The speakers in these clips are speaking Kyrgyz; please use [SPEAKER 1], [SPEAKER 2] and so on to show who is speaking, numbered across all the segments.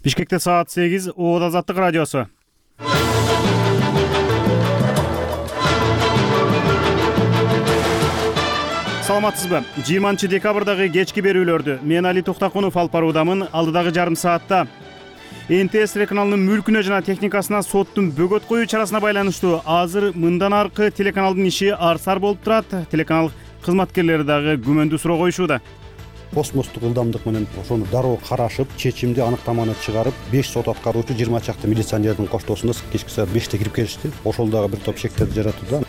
[SPEAKER 1] Бишкекте саат 8, Оот Азаттык радиосу. Саламатсызбы? 20 декабрдагы кечки берүүлөрдү мен Али Токтакунов алып баруудамын. Алдыдагы жарым саатта НТС телеканалынын мүлкүнө жана техникасына соттун бөгөт коюу чарасына байланыштуу азыр мындан аркы телеканалдын иши арсар болуп турат. Телеканал кызматкерлери дагы күмөндүү суроо коюшууда.
[SPEAKER 2] Космостук ылдамдык менен ошону дароо карашып, чечимди, аныктаманы чыгарып, 5 сот аткаруучу, 20 чакты милиционердин коштоосунда кечки саат 5те кирип келишти. Ошол дагы бир топ шектерди жаратууда.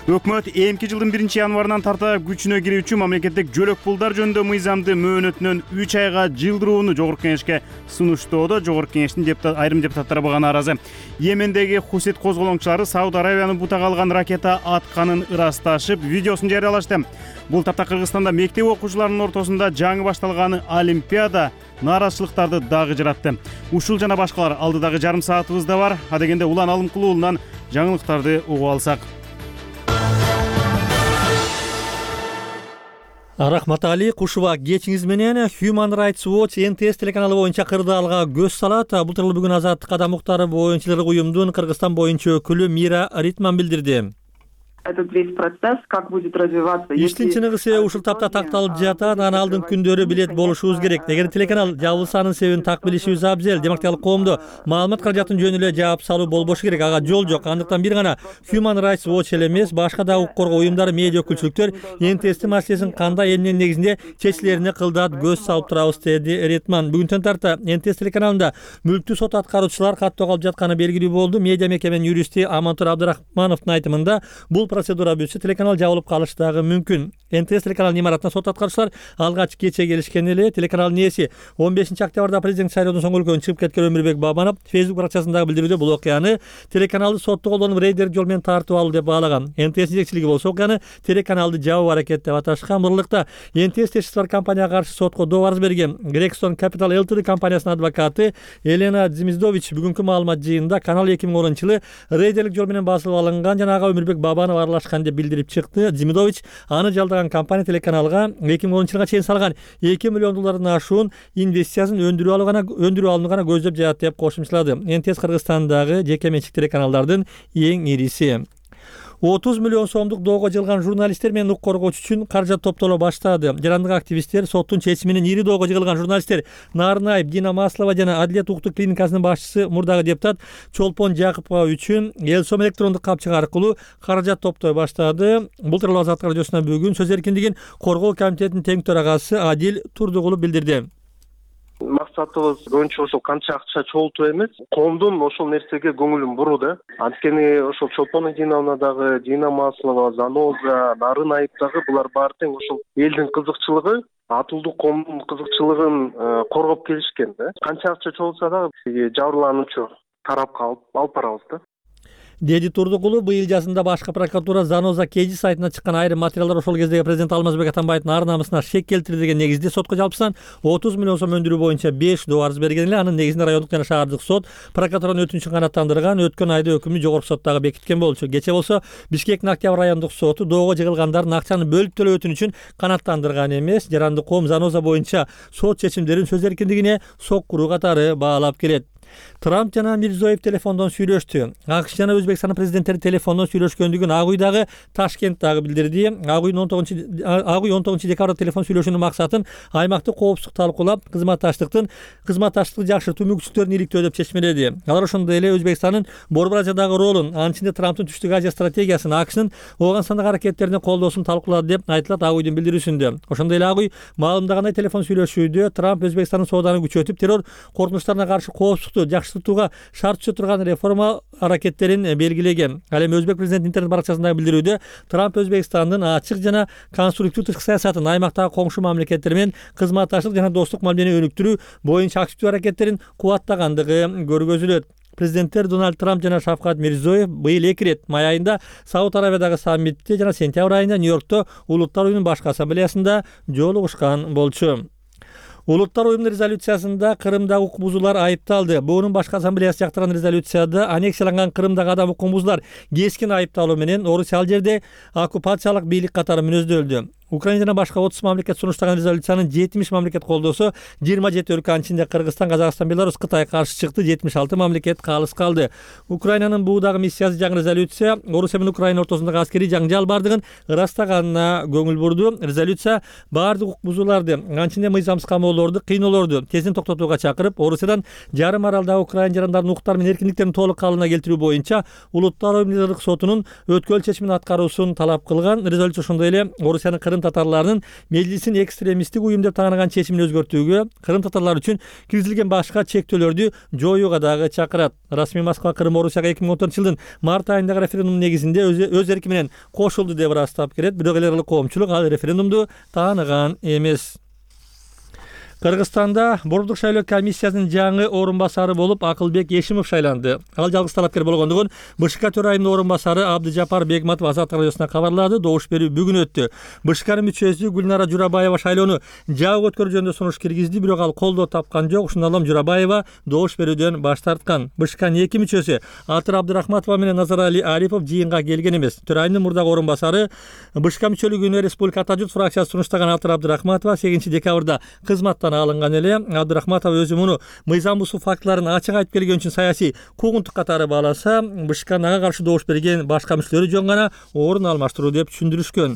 [SPEAKER 1] Өкмөт эмки жылдын 1-январынан тарта күчүнө кирүүчү мамлекеттик жөлөк пулдар жөнүндө мыйзамды мөөнөтүнөн 3 айга жылдырууну Жогорку Кеңешке сунуштоодо. Жогорку Кеңештин айрым депутаттары буга нааразы. Йемендеги Хусит козголоңчулары Сауд Аравияны бутага алган ракета атканын ырасташып, видеосун жарыялашты. Бул тапта Кыргызстанда мектеп окуучуларынын ортосунда жаңы башталган Олимпиада нааразычылыктарды дагы жаратты. Ушул жана башкалар алдыдагы жарым саатыбызда бар. Адегенде Улан Алымкулуулунан жаңылыктарды угуп алсак.
[SPEAKER 3] Рахмат Али, кушуба кечиңиз менен. Human Rights Watch НТС телеканалы боюнча кырдаалга көз салат. Бул тууралуу бүгүн Азаттык кадам укуктары боюнчалык уюмдун Кыргызстан боюнча өкүлү Мира Ритман билдирди.
[SPEAKER 4] Этот весь процесс, как будет развиваться.
[SPEAKER 3] Иштин чыныгысы ушул тапта такталып жатат, анын алдын күндөрү билет болушубуз керек. Эгер телеканал жабылсанын себебин так билишибиз абзел. Демократиялык коомдо маалымат каражатын жөнү эле жаап салуу болбошу керек. Ага жол жок. Андыктан бир гана Human Rights Watch эле эмес, башка да укук коргоо уюмдары, медиа өкүлчүлүктөр НТСтин маселесин кандай эмненин негизинде чечилерине кылдат көз салып турабыз, деди Ритман. Бүгүнтөн тарта НТС телеканалында мүлктүү сот аткаруучулар каттоо калып жатканы белгилүү болду. Медиа мекеменин юристи Амантур Абдрахмановдун айтымында бул процедура бүтсө телеканал жабылып калышы дагы мүмкүн. НТС телеканалынын имаратына сот аткаруучулар алгач кече келишкен эле. Телеканалдын ээси 15 октябрда президент шайлоодон соң өлкөдөн чыгып кеткен Өмүрбек Бабанов Facebook баракчасындагы билдирүүдө бул окуяны телеканалды сотту колдонуп рейдер жол менен тартып алуу деп баалаган. НТС жетекчилиги болсо окуяны телеканалды жабуу аракети деп аташкан. Мурдукта НТС тешкиси бар компанияга каршы сотко доо арыз берген Gregson Capital Ltd компаниясынын адвокаты Елена Дзимиздович бүгүнкү маалымат жыйынында канал 2010-жылы рейдерлик жол менен басылып алынган жана ага Өмүрбек Бабанов аралашкан деп билдирип чыкты. Дзимидович аны жалдаган компания телеканалга 2010-жылга чейин салган $2 миллион ашуун инвестициясын өндүрүп алууну гана көздөп жатат деп кошумчалады. НТС Кыргызстандагы жеке менчик телеканалдардын эң ириси. 30 миллион сомдук доого жыгылган журналисттер менен укук коргоочу үчүн каражат топтоло баштады. Жарандык активисттер соттун чечими менен ири доого жыгылган журналисттер Нарынаев, Дина Маслова жана Адилет укуктук клиникасынын башчысы мурдагы депутат Чолпон Жакупова үчүн эл сом электрондук капчык аркылуу каражат топтой баштады. Бул тууралуу Азаттык радиосуна бүгүн сөз эркиндигин коргоо комитетинин тең төрагасы Адил Турдугулов билдирди.
[SPEAKER 5] Максатыбыз көбүнчө ошол канча акча чогултуу эмес, коомдун ошол нерсеге көңүлүн буруу да. Анткени ошол Чолпон Эдиновна дагы, Дина Маслова, Заноза, Нарынаев дагы булар баары тең ошол элдин кызыкчылыгы, атылдуу коомдун кызыкчылыгын коргоп келишкен да. Канча акча чогулса дагы жабырлануучу тарапка алып барабыз да.
[SPEAKER 3] Деди Турдугулов быйыл жазында башкы прокуратура Заноза Кеди сайтына чыккан айрым материалдар ошол кездеги президент Алмазбек Атамбаевдин ар намысына шек келтирди деген негизде сотко жалпысынан 30 миллион сом өндүрүү боюнча 5 доо арыз берген эле. Анын негизинде райондук жана шаардык сот прокуратуранын өтүнүчүн канааттандырган. Өткөн айда өкүмдү жогорку сот дагы бекиткен болчу. Кече болсо Бишкектин Октябрь райондук соту доого жыгылгандардын акчаны бөлүп төлөө өтүнүчүн канааттандырган эмес. Жарандык коом Заноза боюнча сот чечимдерин сөз эркиндигине соккуруу катары баалап келет. Трамп жана Мирзиёев телефондон сүйлөштү. АКШ жана Өзбекстандын президенттери телефондон сүйлөшкөндүгүн Ак Уй дагы Ташкент дагы билдирди. Ак Уй 19 декабрда телефон сүйлөшүүнүн максатын аймакты коопсуздук талкуулап, кызматташтыкты жакшыртуу мүмкүнчүлүктөрүн иликтөө деп чечмеледи. Алар ошондой эле Өзбекстандын Борбор Азиядагы ролун, анын ичинде Трамптын Түштүк Азия стратегиясын, АКШнын Ооганстандагы аракеттерине колдоосун талкуулады деп айтылат Ак Уйдун билдирүүсүндө. Ошондой эле Ак Уй маалымдагандай телефон сүйлөшүүдө Трамп Өзбекстандын сооданы күчөтүп, террор коркунучтарына каршы коопсуздукту жакшыртууга шарт түзө турган реформа аракеттерин белгилеген. Ал эми Өзбек президентинин интернет баракчасындагы билдирүүдө Трамп Өзбекстандын ачык жана конструктив тышкы саясатын, аймактагы коңшу мамлекеттер менен кызматташтык жана достук мамилени өнүктүрүү боюнча активдүү аракеттерин кубаттагандыгы көргөзүлөт. Президенттер Дональд Трамп жана Шавкат Мирзиёев быйыл 2 рет май айында Сауд Аравиядагы саммитте жана сентябрь айында Нью-Йоркто Улуттар уюмунун башкы ассамблеясында жолугушкан болчу. Улуттар уюмунун резолюциясында Кырымдагы укук бузуулар айыпталды. Буунун башкы ассамблеясы жактырган резолюцияда аннексияланган Кырымдагы адам укугун бузуулар кескин айыпталуу менен Орусия ал жерде оккупациялык бийлик катары мүнөздөлдү. Украина жана башка 30 мамлекет сунуштаган резолюциянын 70 мамлекет колдосо, 27 өлкөнүн ичинде Кыргызстан, Казакстан, Беларусь, Кытай каршы чыкты, 76 мамлекет калыс калды. Украинанын буудагы миссиясы жаңы резолюция Орусия менен Украина ортосундагы аскерий жаңжал бардыгын ырастаганына көңүл бурду. Резолюция баардык укук бузууларды, анчинде мыйзамсыз камоолорду, кыйноолорду тезин токтотууга чакырып, Орусиядан жарым аралдагы Украина жарандарынын укуктары менен эркиндиктерин толук калыбына келтирүү боюнча Улуттар Коомдук сотунун өткөл чечимин аткаруусун талап кылган. Резолюция ошондой эле Орусиянын Крым татарларынын мейлисин экстремисттик уюм деп тааныган чечимин өзгөртүүгө, Крым татарлары үчүн киргизилген башка чектөөлөрдү жоюуга дагы чакырат. Расмий Москва Крым Орусияга 2014-жылдын март айындагы референдум негизинде өз эрки менен кошулду деп ырастап келет. Бирок эл аралык коомчулук ал референдумду тааныган эмес. Кыргызстанда Борбордук шайлоо комиссиясынын жаңы орун басары болуп Акылбек Эшимов шайланды. Ал жалгыз талапкер болгондугун БШК төрайымынын орун басары Абдыжапар Бегматов Азаттык радиосуна кабарлады. Добуш берүү бүгүн өттү. БШКнын мүчөсү Гүлнара Журабаева шайлоону жабык өткөрүү жөнүндө сунуш киргизди, бирок ал колдоо тапкан жок. Ушундан улам Журабаева добуш берүүдөн баш тарткан. БШКнын эки мүчөсү Атыр Абдырахматова менен Назарали Арипов жыйынга келген эмес. Төрайымдын мурдагы орун басары БШК мүчөлүгүнө Республика Ата журт фракциясы сунуштаган Атыр Абдырахматова 8 декабрда кызматтан алынган эле. Абдырахматова өзү муну мыйзам бузуу фактыларын ачык айтып келген үчүн саясий куугунтук катары бааласа, БШКнын ага каршы добуш берген башка мүчөлөрү жөн гана орун алмаштыруу деп түшүндүрүшкөн.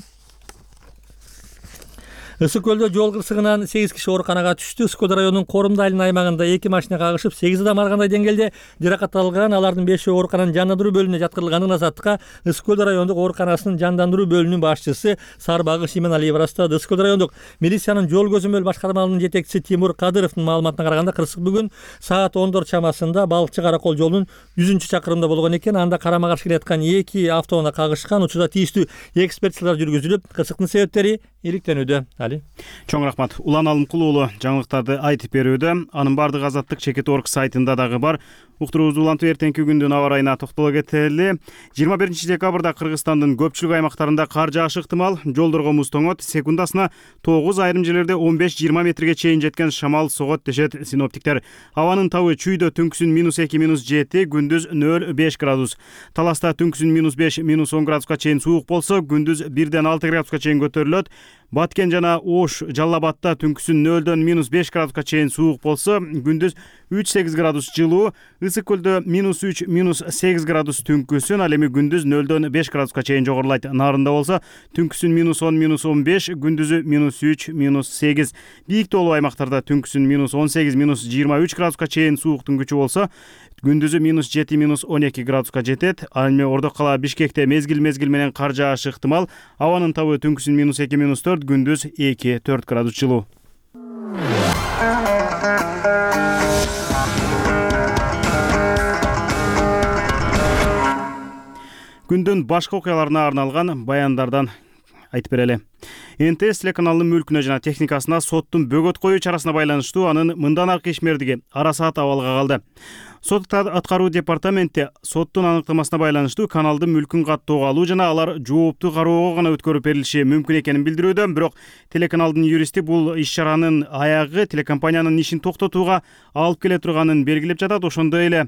[SPEAKER 3] Ысык көлдө жол кырсыгынан 8 киши ооруканага түштү. Ысык көл районунун Корумда айылынын аймагында 2 машина кагышып 8 адам ар кандай деңгээлде жаракат алган. Алардын 5-өө оорукананын жандандыруу бөлүмүнө жаткырылганын Азаттыкка Ысык көл райондук ооруканасынын жандандыруу бөлүмүнүн башчысы Сарбагыш Именалиев ырастады. Ысык көл райондук милициянын жол көзөмөл башкармалыгынын жетекчиси Тимур Кадыровдун маалыматына караганда, кырсык бүгүн саат 10 чамасында Балыкчы Каракол жолунун 100-чакырымында болгон экен. Анда карама каршы келаткан 2 автоунаа кагышкан. Учурда тийиштүү экспертизалар жүргүзүлүп, кырсыктын себептери иликтенүүдө. Али
[SPEAKER 1] Чоң рахмат. Улан Алымкулуу уулу жаңылыктарды айтып берүүдө. Анын бардыгы Азаттык Чекит.org сайтында дагы бар. Уктуруубузду улантып эртеңки күндүн аба ырайына токтоло кетели. 21 декабрда Кыргызстандын көпчүлүк аймактарында кар жаашы ыктымал. Жолдорго муз тоңот, секундасына 9, айрым жерлерде 15-20 метрге чейин жеткен шамал согот дешет синоптиктер. Абанын табы чүйдө түнкүсүн -2, -7, күндүз 0-5 градус. Таласта түнкүсүн -5, -10 градуска чейин суук болсо, күндүз 1-6 градуска чейин көтөрүлөт. Баткен жана Ош, Жалал Абадта түнкүсүн 0-5 градуска чейин суук болсо, күндүз 3-8 градус жылуу. Ысык көлдө -3, -8 градус түнкүсүн, ал эми күндүз 0-5 градуска чейин жогорулайт. Нарында болсо түнкүсүн -10, -15, күндүзү -3, -8. Бийик тоолуу аймактарда түнкүсүн -18, -23 градуска чейин сууктун күчү болсо, күндүзү -7, -12 градуска жетет. Ал эми Ордок кала Бишкекте мезгил менен кар жаашы ыктымал. Абанын табы түнкүсүн -2, -4, күндүз 2-4 градус жылуу. Күндүн башка окуяларына арналган баяндардан айтып берели. НТС телеканалынын мүлкүнө жана техникасына соттун бөгөт коюу чарасына байланыштуу анын мындан аркы ишмердиги ара саат абалга калды. Сот аткаруу департаменти соттун аныктамасына байланыштуу каналдын мүлкүн каттоого алуу жана алар жоопту кароого гана өткөрүп берилиши мүмкүн экенин билдирүүдө. Бирок телеканалдын юристи бул иш-чаранын аягы телекомпаниянын ишин токтотууга алып келе турганын белгилеп жатат. Ошондой эле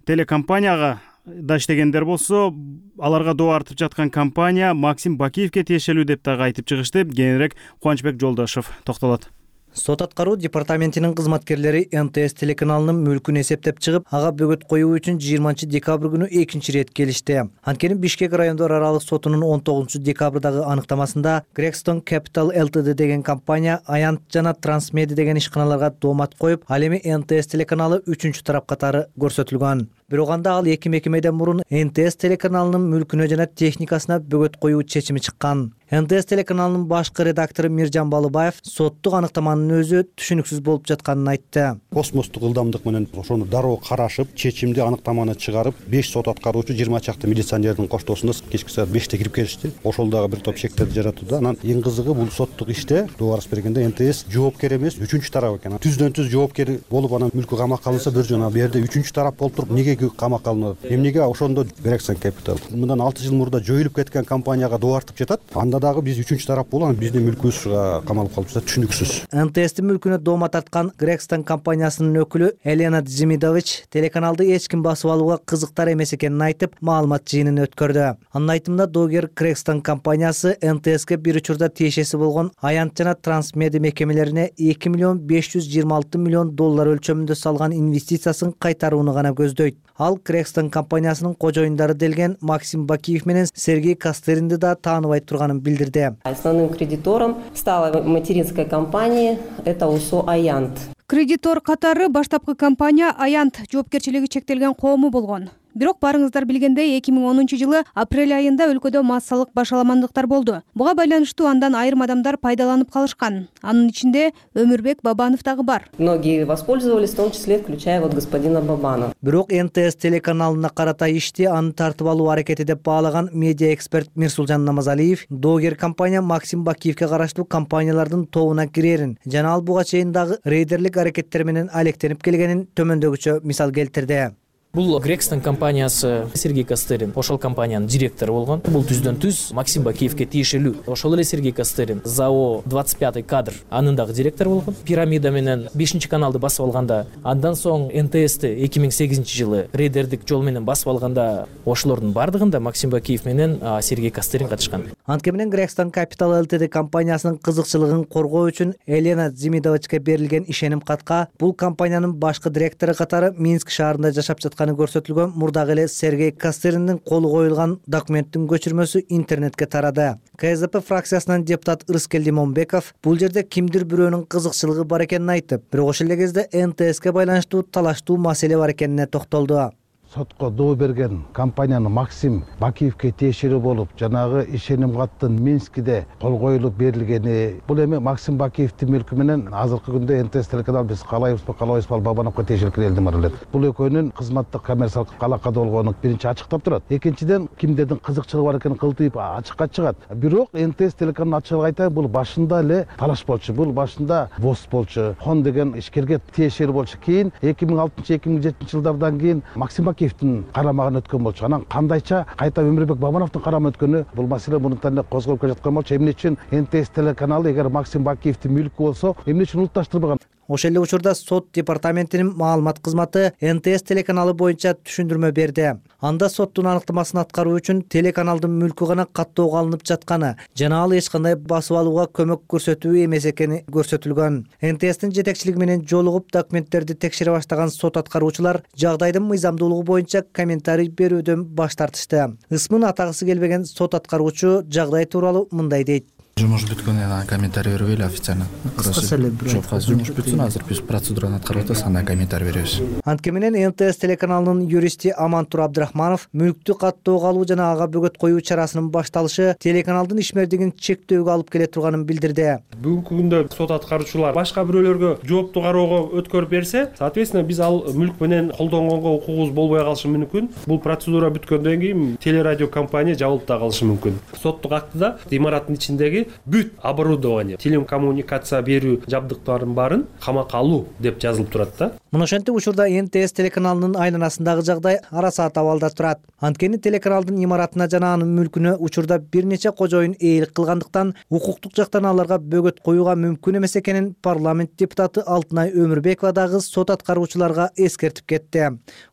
[SPEAKER 1] телекомпанияга да иштегендер болсо, аларга доо артып жаткан компания Максим Бакиевке тиешелүү деп дагы айтып чыгышты. Кийинирээк Кубанычбек Жолдошов токтолот.
[SPEAKER 6] Сот аткаруу департаментинин кызматкерлери НТС телеканалынын мүлкүн эсептеп чыгып, ага бөгөт коюу үчүн 20 декабрь күнү экинчи рет келишти. Анткени Бишкек райондор аралык сотунун 19 декабрдагы аныктамасында Gregstone Capital Ltd деген компания Аянт жана Трансмеди деген ишканаларга доомат коюп, ал эми НТС телеканалы 3-чү тарап катары көрсөтүлгөн. Бирок анда ал 2 мекемеден мурун НТС телеканалынын мүлкүнө жана техникасына бөгөт коюу чечими чыккан. НТС телеканалынын башкы редактору Миржан Балыбаев соттук аныктаманын өзү түшүнүксүз болуп жатканын айтты.
[SPEAKER 2] Космостук ылдамдык менен ошону дароо карашып, чечимди, аныктаманы чыгарып, 5 сот аткаруучу 20 чакты милиционердин коштоосунда кечки саат 5те кирип келишти. Ошол дагы бир топ шектерди жаратууда. Анан эң кызыгы бул соттук иште доо арыз бергенде НТС жоопкер эмес, 3-тарап экен. Түздөн түз жоопкер болуп анан мүлкү камакка алынса, бир жана бу жерде 3-тарап болуп туруп, эмнеге ийгилиги камакка алынып атат. Эмнеге ошондо Gregson Capital мындан 6 жыл мурда жоюлуп кеткен компанияга доо тартып жатат. Анда дагы биз үчүнчү тарап болуп, биздин мүлкүбүз камалып калып жатат, түшүнүксүз.
[SPEAKER 6] НТС'тин мүлкүнө дома тарткан Gregson компаниясынын өкүлү Елена Дзимидович телеканалды эч ким басып алууга кызыктар эмес экенин айтып, маалымат жыйынын өткөрдү. Анын айтымында доогер Gregson компаниясы НТСке бир учурда тиешеси болгон Аянт жана Трансмедиа мекемелерине 2 миллион 526 миллион доллар өлчөмүндө салган инвестициясын кайтарууну гана көздөйт. Ал Gregson компаниясынын кожоюндары делген Максим Бакиев менен Сергей Костеринди да тааныбай турганын билдирди.
[SPEAKER 7] Основным кредитором стала материнская компания, это УСО «Аянт».
[SPEAKER 8] Кредитор катары баштапкы компания «Аянт» жоопкерчилиги чектелген коому болгон. Бирок барыңыздар билгендей 2010 жылы апрель айында өлкөдө массалык башаламандыктар болду. Буга байланыштуу андан айрым адамдар пайдаланып калышкан. Анын ичинде Өмүрбек Бабанов дагы бар.
[SPEAKER 7] Многие воспользовались, в том числе включая господина Бабанова.
[SPEAKER 6] Бирок НТС телеканалына карата ишти аны тартып алуу аракети деп баалаган медиа эксперт Мирсулжан Намазалиев доогер компания Максим Бакиевке караштуу компаниялардын тобуна кирерин жана ал буга чейин дагы рейдерлик аракеттер менен алектенип келгенин төмөндөгүчө мисал келтирди.
[SPEAKER 9] Бул Gregson компаниясы Сергей Костерин ошол компаниянын директору болгон. Бул түздөн-түз Максим Бакиевке тиешелүү. Ошол эле Сергей Костерин ЗАО 25 кадр анын дагы директору болгон. Пирамида менен 5-каналды басып алганда, андан соң НТСти 2008 жылы рейдердик жол менен басып алганда, ошолордун бардыгында Максим Бакиев менен Сергей Костерин катышкан.
[SPEAKER 6] Анткени менен Gregson Capital Ltd компаниясынын кызыкчылыгын коргоо үчүн Елена Дзимидовичке берилген ишеним катка бул компаниянын башкы директору катары Минск шаарында жашап көрсөтүлгөн мурдагы эле Сергей Костериндин колу коюлган документтин көчүрмөсү интернетке тарады. КСДП фракциясынын депутат Ырыскелди Момбеков бул жерде кимдир бирөөнүн кызыкчылыгы бар экенин айтып, бирок ошол эле кезде НТСке байланыштуу талаштуу маселе бар экенине токтолду.
[SPEAKER 10] Сотко доо берген компаниянын Максим Бакиевке тиешелүү болуп, жанагы ишеним каттын Минскиде кол коюлуп берилгени, бул эми Максим Бакиевдин мүлкү менен азыркы күндө НТС телеканал биз каалайбызбы, каалабайбызбы, Бабановго тиешелүү элдин бар эле. Бул экөөнүн кызматтык коммерциялык алакада болгону биринчи ачыктап турат. Экинчиден, кимдердин кызыкчылыгы бар экенин кылтыйып ачыкка чыгат. Бирок НТС телеканалын ачыгын айтайын, бул башында эле талаш болчу, бул башында ВОЗ болчу, Хон деген ишкерге тиешелүү болчу. Кийин 2006-2007 жылдардан кийин Максим Бакиевдин карамагына өткөн болчу. Анан кандайча кайта Өмүрбек Бабановдун карамагына өткөнү, бул маселе мурунтан эле козголуп келе болчу. Эмне үчүн НТС телеканалы эгер Максим Бакиевдин мүлкү болсо, эмне үчүн улутташтырбаган?
[SPEAKER 6] Ошол эле учурда сот департаментинин маалымат кызматы НТС телеканалы боюнча түшүндүрмө берди. Анда соттун аныктамасын аткаруу үчүн телеканалдын мүлкү гана каттоого алынып жатканы жана ал эч кандай басып алууга көмөк көрсөтүү эмес экени көрсөтүлгөн. НТСтин жетекчилиги менен жолугуп документтерди текшере баштаган сот аткаруучулар жагдайдын мыйзамдуулугу боюнча комментарий берүүдөн баш тартышты. Ысмын атагысы келбеген сот аткаруучу жагдай тууралуу мындай дейт.
[SPEAKER 11] Жумуш бүткөндөн кийин комментарий бербейли официально. Жок, азыр жумуш бүтсүн, азыр биз процедураны аткарып атабыз, андан комментарий беребиз.
[SPEAKER 6] Анткени менен НТС телеканалынын юристи Амантур Абдрахманов мүлктү каттоого алуу жана ага бөгөт коюу чарасынын башталышы телеканалдын ишмердигин чектөөгө алып келе турганын билдирди.
[SPEAKER 12] Бүгүнкү күндө сот аткаруучулар башка бирөөлөргө жоопту кароого өткөрүп берсе, соответственно биз ал мүлк менен колдонгонго укугубуз болбой калышы мүмкүн. Бул процедура бүткөндөн кийин телерадио компания жабылып да калышы мүмкүн. Соттук актыда имараттын ичиндеги бүт оборудование, телекоммуникация берүү жабдыктарын баарын камакка алуу деп жазылып турат да.
[SPEAKER 6] Мына ошентип учурда НТС телеканалынын айланасындагы жагдай ара саат абалда турат. Анткени телеканалдын имаратына жана анын мүлкүнө учурда бир нече кожоюн ээлик кылгандыктан укуктук жактан аларга бөгөт коюуга мүмкүн эмес экенин парламент депутаты Алтынай Өмүрбекова дагы сот аткаруучуларга эскертип кетти.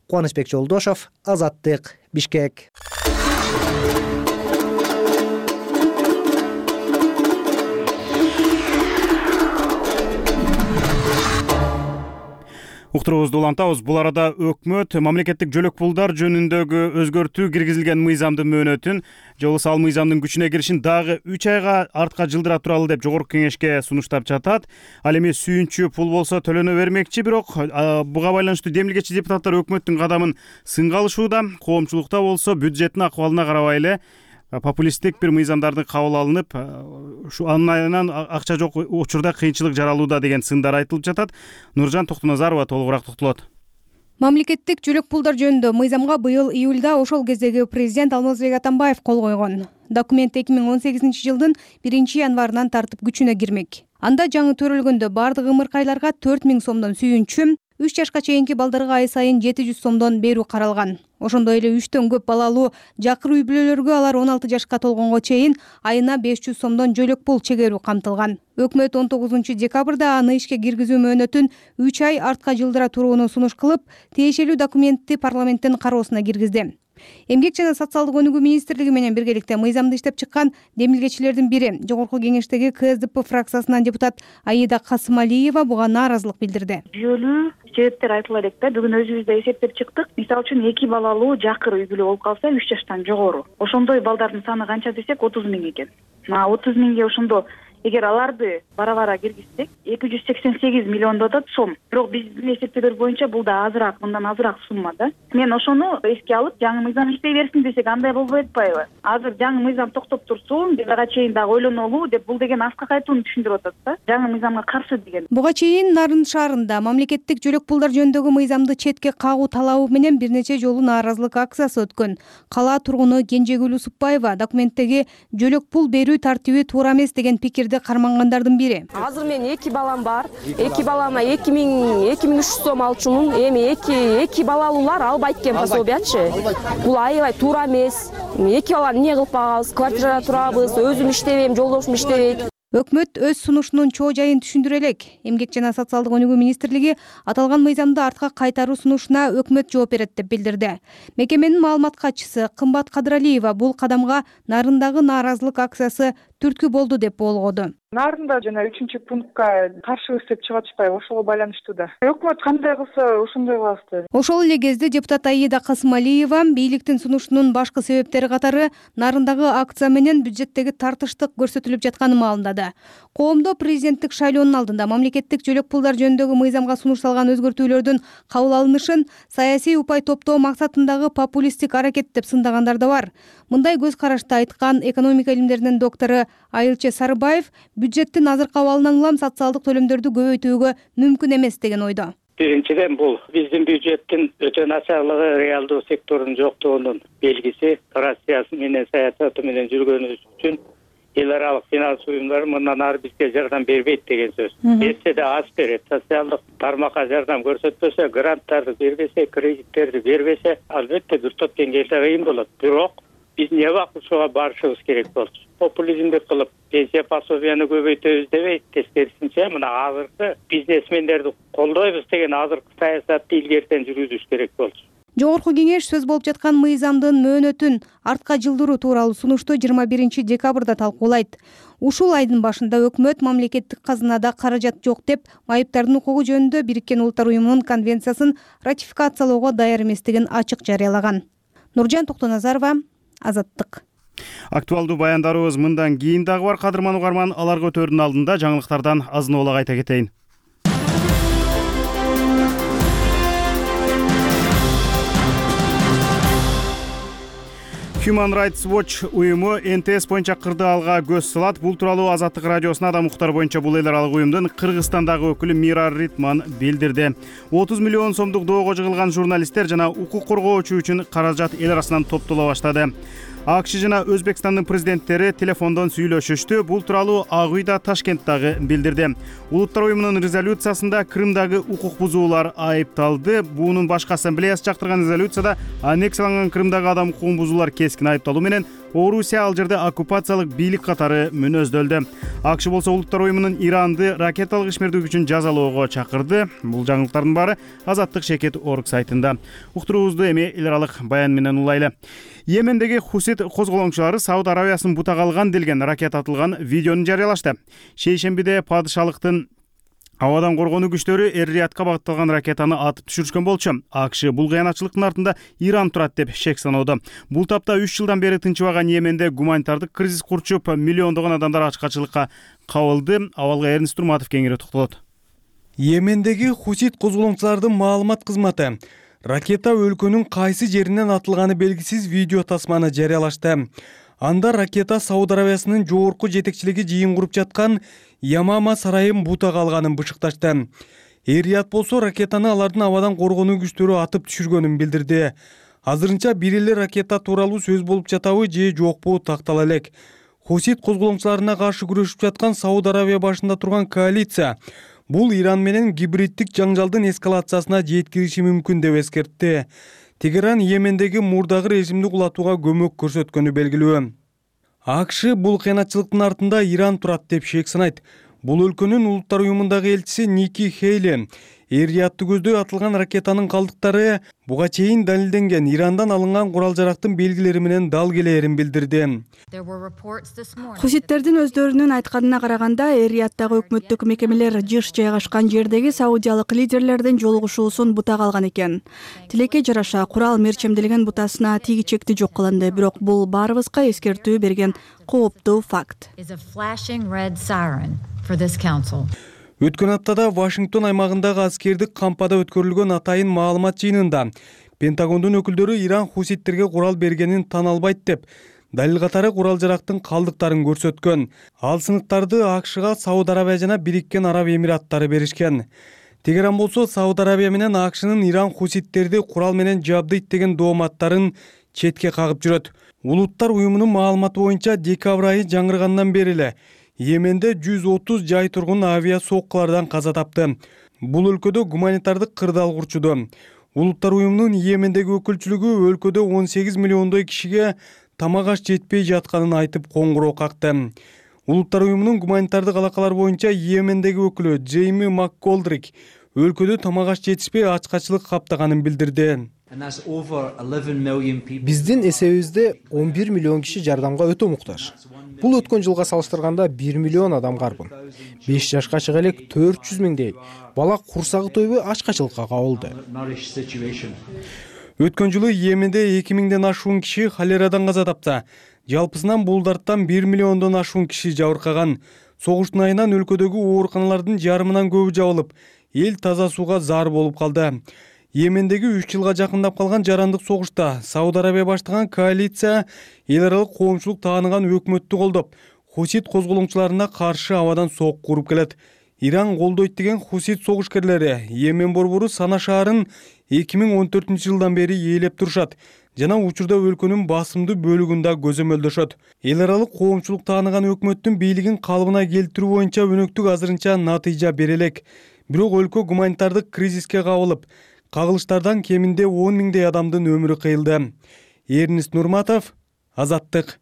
[SPEAKER 6] Кубанычбек Жолдошов, Азаттык, Бишкек.
[SPEAKER 1] Уктуруубузду улантабыз. Бул арада өкмөт мамлекеттик жөлөк пулдар жөнүндөгү өзгөртүү киргизилген мыйзамдын мөөнөтүн же болбосо ал мыйзамдын күчүнө киришин дагы 3 айга артка жылдыра туралы деп Жогорку Кеңешке сунуштап жатат. Ал эми сүйүнчү пул болсо төлөнө бермекчи, бирок буга байланыштуу демилгечи депутаттар өкмөттүн кадамын сынга алышууда. Коомчулукта болсо бюджеттин акыбалына карабай эле популисттик бир мыйзамдардын кабыл алынып, андан акча жок учурда кыйынчылык жаралууда деген сындар айтылып жатат. Нуржан Токтоназарова толугураак токтолот.
[SPEAKER 8] Мамлекеттик жөлөк пулдар жөнүндө мыйзамга быйыл июлда ошол кездеги президент Алмазбек Атамбаев кол койгон. Документ 2018 жылдын 1-январынан тартып күчүнө кирмек. Анда жаңы төрөлгөндө бардык ымыркайларга 4000 сомдон сүйүнчү, 3 жашка чейинки балдарга ай сайын 700 сомдон берүү каралган. Ошондой эле 3төн көп балалуу жакыр үй бүлөлөргө алар 16 жашка толгонго чейин айына 500 сомдон жөлөк пул чегерүү камтылган. Өкмөт 19 декабрда аны ишке киргизүү мөөнөтүн 3 ай артка жылдыра турууну сунуш кылып, тиешелүү документти парламенттин кароосуна киргизди. Эмгек жана социалдык өнүгүү министрлиги менен биргеликте мыйзамды иштеп чыккан демилгечилердин бири, Жогорку кеңештеги КСДП фракциясынан депутат Аида Касымалиева буга нааразылык билдирди.
[SPEAKER 13] Жүйөлүү себептер айтыла элек да. Бүгүн өзүбүз эсептеп чыктык. Мисалы үчүн 2 балалуу жакыр үй бүлө болуп калса 3 жаштан жогору. Ошондой балдардын саны канча десек 30 000 экен. 30 000ге ошондо эгер аларды бара-бара киргизсек 288 миллион атат сом. Бирок биздин эсептөөлөр боюнча бул да азыраак, мындан азыраак сумма да. Мен ошону эске алып, жаңы мыйзам иштей берсин десек андай болбой атпайбы? Азыр жаңы мыйзам токтоп турсун, биз ага чейин дагы ойлонолу деп бул деген аскак айтууну түшүндүрүп атат да. Жаңы мыйзамга каршы деген.
[SPEAKER 8] Буга чейин Нарын шаарында мамлекеттик жөлөк пулдар жөнүндөгү мыйзамды четке кагуу талабы менен бир нече жолу нааразылык акциясы өткөн. Кала тургуну Кенжегүл Усупбаева документтеги жөлөк пул берүү тартиби туура эмес деген пикирди кармангандардын бири.
[SPEAKER 14] Азыр мен 2 балам бар. 2 балама 2300 сом алчумун. Эми 2 балалуулар албайт экен пособиячы. Бул аябай туура эмес. 2 баланы эмне кылып багабыз? Квартирада турабыз, өзүм иштебейм, жолдошум иштебейт.
[SPEAKER 8] Өкмөт өз сунушунун чоо жайын түшүндүрө элек. Эмгек жана социалдык өнүгүү министрлиги аталган мыйзамды артка кайтаруу сунушуна өкмөт жооп берет деп билдирди. Мекеменин маалымат катчысы Кымбат Кадыралиева бул кадамга Нарындагы нааразылык акциясы түрткү болду деп болгоду.
[SPEAKER 15] Нарында жана 3-пунктка каршыбыз деп чыгып атышпайбы, ошого байланыштуу да. Өкмөт кандай кылса ошондой кылабыз.
[SPEAKER 8] Ошол эле кезде депутат Аида Касымалиева бийликтин сунушунун башкы себептери катары Нарындагы акция менен бюджеттеги тартыштык көрсөтүлүп жатканын маалымдады. Коомдо президенттик шайлоонун алдында мамлекеттик жөлөк пулдар жөнүндөгү мыйзамга сунуш салган өзгөртүүлөрдүн кабыл алынышын саясий упай топтоо максатындагы популисттик аракет деп сындагандар да бар. Мындай көз карашты айткан экономика илимдеринин доктору Айылчы Сарыбаев бюджеттин азыркы абалынан улам социалдык төлөмдөрдү көбөйтүүгө мүмкүн эмес деген ойдо.
[SPEAKER 16] Биринчиден бул биздин бюджеттин өтө начарлыгы, реалдуу сектордун жоктугунун белгиси. Россия менен саясаты менен жүргөнүбүз үчүн эл аралык финанс уюмдары мындан ары бизге жардам бербейт деген сөз. Берсе да аз берет. Социалдык тармакка жардам көрсөтпөсө, гранттарды бербесе, кредиттерди бербесе, албетте бир топ деңгээлде кыйын болот. Бирок биз эмне убакыт ушуга барышыбыз керек болчу. Популизмди кылып, пенсия пособияны көбөйтөбүз дебей, тескерисинче мына азыркы бизнесмендерди колдойбуз деген азыркы саясатты илгертен жүргүзүш керек болчу.
[SPEAKER 8] Жогорку кеңеш сөз болуп жаткан мыйзамдын мөөнөтүн артка жылдыруу тууралуу сунушту 21 декабрда талкуулайт. Ушул айдын башында өкмөт мамлекеттик казынада каражат жок деп майыптардын укугу жөнүндө Бириккен Улуттар уюмунун конвенциясын ратификациялоого даяр эместигин ачык жарыялаган. Нуржан Токтоназарова, Азаттык.
[SPEAKER 1] Актуалдуу баяндарыбыз мындан кийин дагы бар. Кадырман угарман, алар көтөрүүнүн алдында жаңылыктардан азын-оолак айта кетейин. Human Rights Watch уюму НТС боюнча кырдаалга көз салат. Бул тууралуу Азаттык радиосуна да Мухтар боюнча бул эл аралык уюмдун Кыргызстандагы өкүлү Мира Ритман билдирди. 30 миллион сомдук доого жыгылган журналисттер жана укук коргоочу үчүн каражат эл арасынан топтоло баштады. АКШ жана Өзбекстандын президенттери телефондон сүйлөшүштү. Бул тууралуу Ак үй да Ташкенттагы билдирди. Улуттар уюмунун резолюциясында Крымдагы укук бузуулар айыпталды. Буунун башкы ассамблеясы чактырган резолюцияда аннексияланган Крымдагы адам укугун бузуулар кескин айыпталуу менен Орусия ал жерде оккупациялык бийлик катары мүнөздөлдү. АКШ болсо Улуттар уюмунун Иранды ракеталык ишмердик үчүн жазалоого чакырды. Бул жаңылыктардын баары Азаттык Шекет орг сайтында. Уктуруубузду эми эл аралык баян менен улайлы. Йемендеги Хусит козголоңчулары Сауд Аравиясын бутак алган делген ракет атылган видеону жарыялашты. Шейшембиде падышалыктын абадан коргонуу күчтөрү Эр-Риядка багытталган ракетаны атып түшүрүшкөн болчу. АКШ бул кыянатчылыктын артында Иран турат деп шек саноодо. Бул тапта 3 жылдан бери тынчыбаган Йеменде гуманитардык кризис курчуп, миллиондогон адамдар ачкачылыкка кабылды. Абалга Эрнст Турматов кеңири токтолот.
[SPEAKER 17] Йемендеги Хусит козголоңчулардын маалымат кызматы ракета өлкөнүн кайсы жеринен атылганы белгисиз видео тасманы жарыялашты. Анда ракета Сауд Аравиясынын жогорку жетекчилиги жыйын куруп жаткан Ямама сарайын бутак алганын бышыкташты. Эр-Рияд болсо ракетаны алардын абадан коргонуу күчтөрү атып түшүргөнүн билдирди. Азырынча бир эле ракета тууралуу сөз болуп жатабы же жокпу тактала элек. Хусит козголоңчуларына каршы күрөшүп жаткан Сауд Аравия башында турган коалиция Бул Иран менен гибриддик жаңжалдын эскалациясына жеткириши мүмкүн деп эскертти. Тегеран Йемендеги мурдагы режимди кулатууга көмөк көрсөткөнү белгилүү. АКШ бул кыянатчылыктын артында Иран турат деп шек санайт. Бул өлкөнүн улуттар уюмундагы элчиси Ники Хейли Эр-Риядты көздөй атылган ракетанын калдыктары буга чейин далилденген Ирандан алынган курал-жарактын белгилери менен дал келээрин билдирди.
[SPEAKER 18] Хуситтердин өздөрүнүн айтканына караганда, Эр-Рияттагы өкмөттүк мекемелер жыш жайгашкан жердеги саудиялык лидерлердин жолугушуусун бутак алган экен. Тилекке жараша курал мерчемделген бутасына тиги чекти жок кылынды, бирок бул баарыбызга эскертүү берген кооптуу факт.
[SPEAKER 17] Өткөн аптада Вашингтон аймагындагы аскердик кампада өткөрүлгөн атайын маалымат жыйынында Пентагондун өкүлдөрү Иран хуситтерге курал бергенин tan албайт деп, далил катары курал-жарактын калдыктарын көрсөткөн. Ал сыныктарды АКШга Сауд Арабия жана Бириккен Араб Эмираттары беришкен. Тегеран болсо Сауд Арабия менен АКШнын Иран хуситтерди курал менен жабдыйт деген дооматтарын четке кагып жүрөт. Улуттар уюмунун маалыматы боюнча декабрь айы жаңыргандан бери эле Йеменде 130 жай тургун авиа соккулардан каза тапты. Бул өлкөдө гуманитардык кырдаал курчуду. Улуттар уюмунун Йемендеги өкүлчүлүгү өлкөдө 18 миллиондой кишиге тамак аш жетпей жатканын айтып коңгуроо какты. Улуттар уюмунун гуманитардык алакалар боюнча Йемендеги өкүлү Джейми МакКолдрик өлкөдө тамак аш жетишпей ачкачылык каптаганын билдирди.
[SPEAKER 19] Биздин эсебибизде 11 миллион киши жардамга өтө муктаж. Бул өткөн жылга салыштырганда 1 миллион адам карбын. 5 жашка чыга элек 400 миңдей бала курсагы тойбой ачкачылыкка кабылды.
[SPEAKER 17] Өткөн жылы Йеменде 2000ден ашуун киши холерадан каза тапса, жалпысынан бул дарттан 1 миллиондон ашуун киши жабыркаган. Согуштун айынан өлкөдөгү ооруканалардын жарымынан көбү жабылып, эл таза сууга зар болуп калды. Йемендеги 3 жылга жакындап калган жарандык согушта Сауд Арабия баштаган коалиция эл аралык коомчулук тааныган өкмөттү колдоп, хусит козголоңчуларына каршы абадан сок куруп келет. Иран колдойт деген хусит согушкерлери Йемен борбору Сана шаарын 2014-жылдан бери ээлеп турушат жана учурда өлкөнүн басымдуу бөлүгүн да көзөмөлдөшөт. Эл аралык коомчулук тааныган өкмөттүн бийлигин калыбына келтирүү боюнча өнөктүк азырынча натыйжа бере элек. Бирок өлкө гуманитардык кризиске кабылып, кагылыштардан кеминде 10 миңдей адамдын өмүрү кыйылды. Эрнист Нурматов, Азаттык.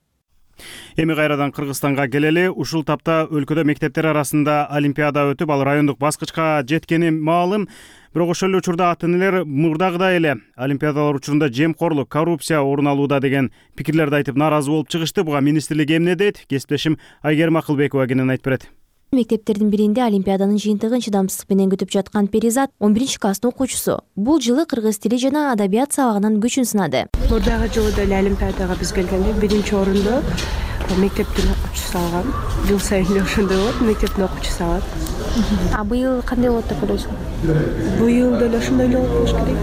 [SPEAKER 1] Эми кайрадан Кыргызстанга келели. Ушул тапта өлкөдө мектептер арасында олимпиада өтүп, ал райондук баскычка жеткени маалым. Бирок ошол эле учурда ата-энелер мурдагыдай эле олимпиадалар учурунда жемкорлук, коррупция орун алууда деген пикирлерди айтып нааразы болуп чыгышты. Буга министрлик эмне дейт? Кесиптешим Айгерим Акылбекова кенен айтып берет.
[SPEAKER 20] Мектептердин биринде олимпиаданын жыйынтыгын чыдамсыздык менен күтүп жаткан Перизат 11-класстын окуучусу. Бул жылы кыргыз тили жана адабият сабагынын күчүн сынады.
[SPEAKER 21] Мурдагы жылы деле олимпиадага биз келгенде биринчи орунду мектептин окуучусу алган. Жыл сайын эле ошондой болот, мектептин окуучусу алат.
[SPEAKER 20] А быйыл кандай болот деп ойлойсуң?
[SPEAKER 21] Быйыл деле ошондой эле болуш керек.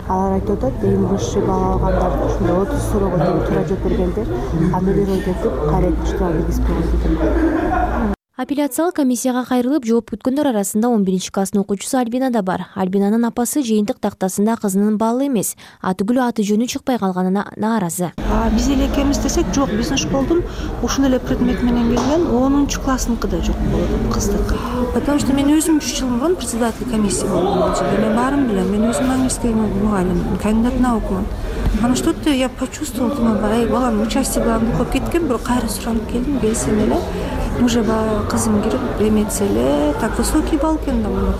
[SPEAKER 21] Алар айтып атат, эң высший балл алгандар ошондой 30 суроого тең туура жооп бергендер, аны бирөө кетип корректчилоо белгиси берилди.
[SPEAKER 20] Апелляциялык комиссияга кайрылып жооп күткөндөр арасында 11-класстын окуучусу Альбина да бар. Альбинанын апасы жыйынтык тактасында кызынын баллы эмес, атүгүлү аты жөнү чыкпай калганына нааразы.
[SPEAKER 21] Биз эле экенбиз десек жок, биздин школдун ушул эле предмет менен келген 10-классныкы да жок болот, кыздыкы. Потому что мен өзүм 3 жыл мурун председатель комиссии болгом. Мен баарын билем, мен өзүм английский мугалим, кандидат наукмун. Ана что-то я почувствовала, думаю, балам участие балам көп кеткен, бирок кайра суранып келдим, келсем эле уже кызым кирип эметсе эле так высокий балл экен да болот.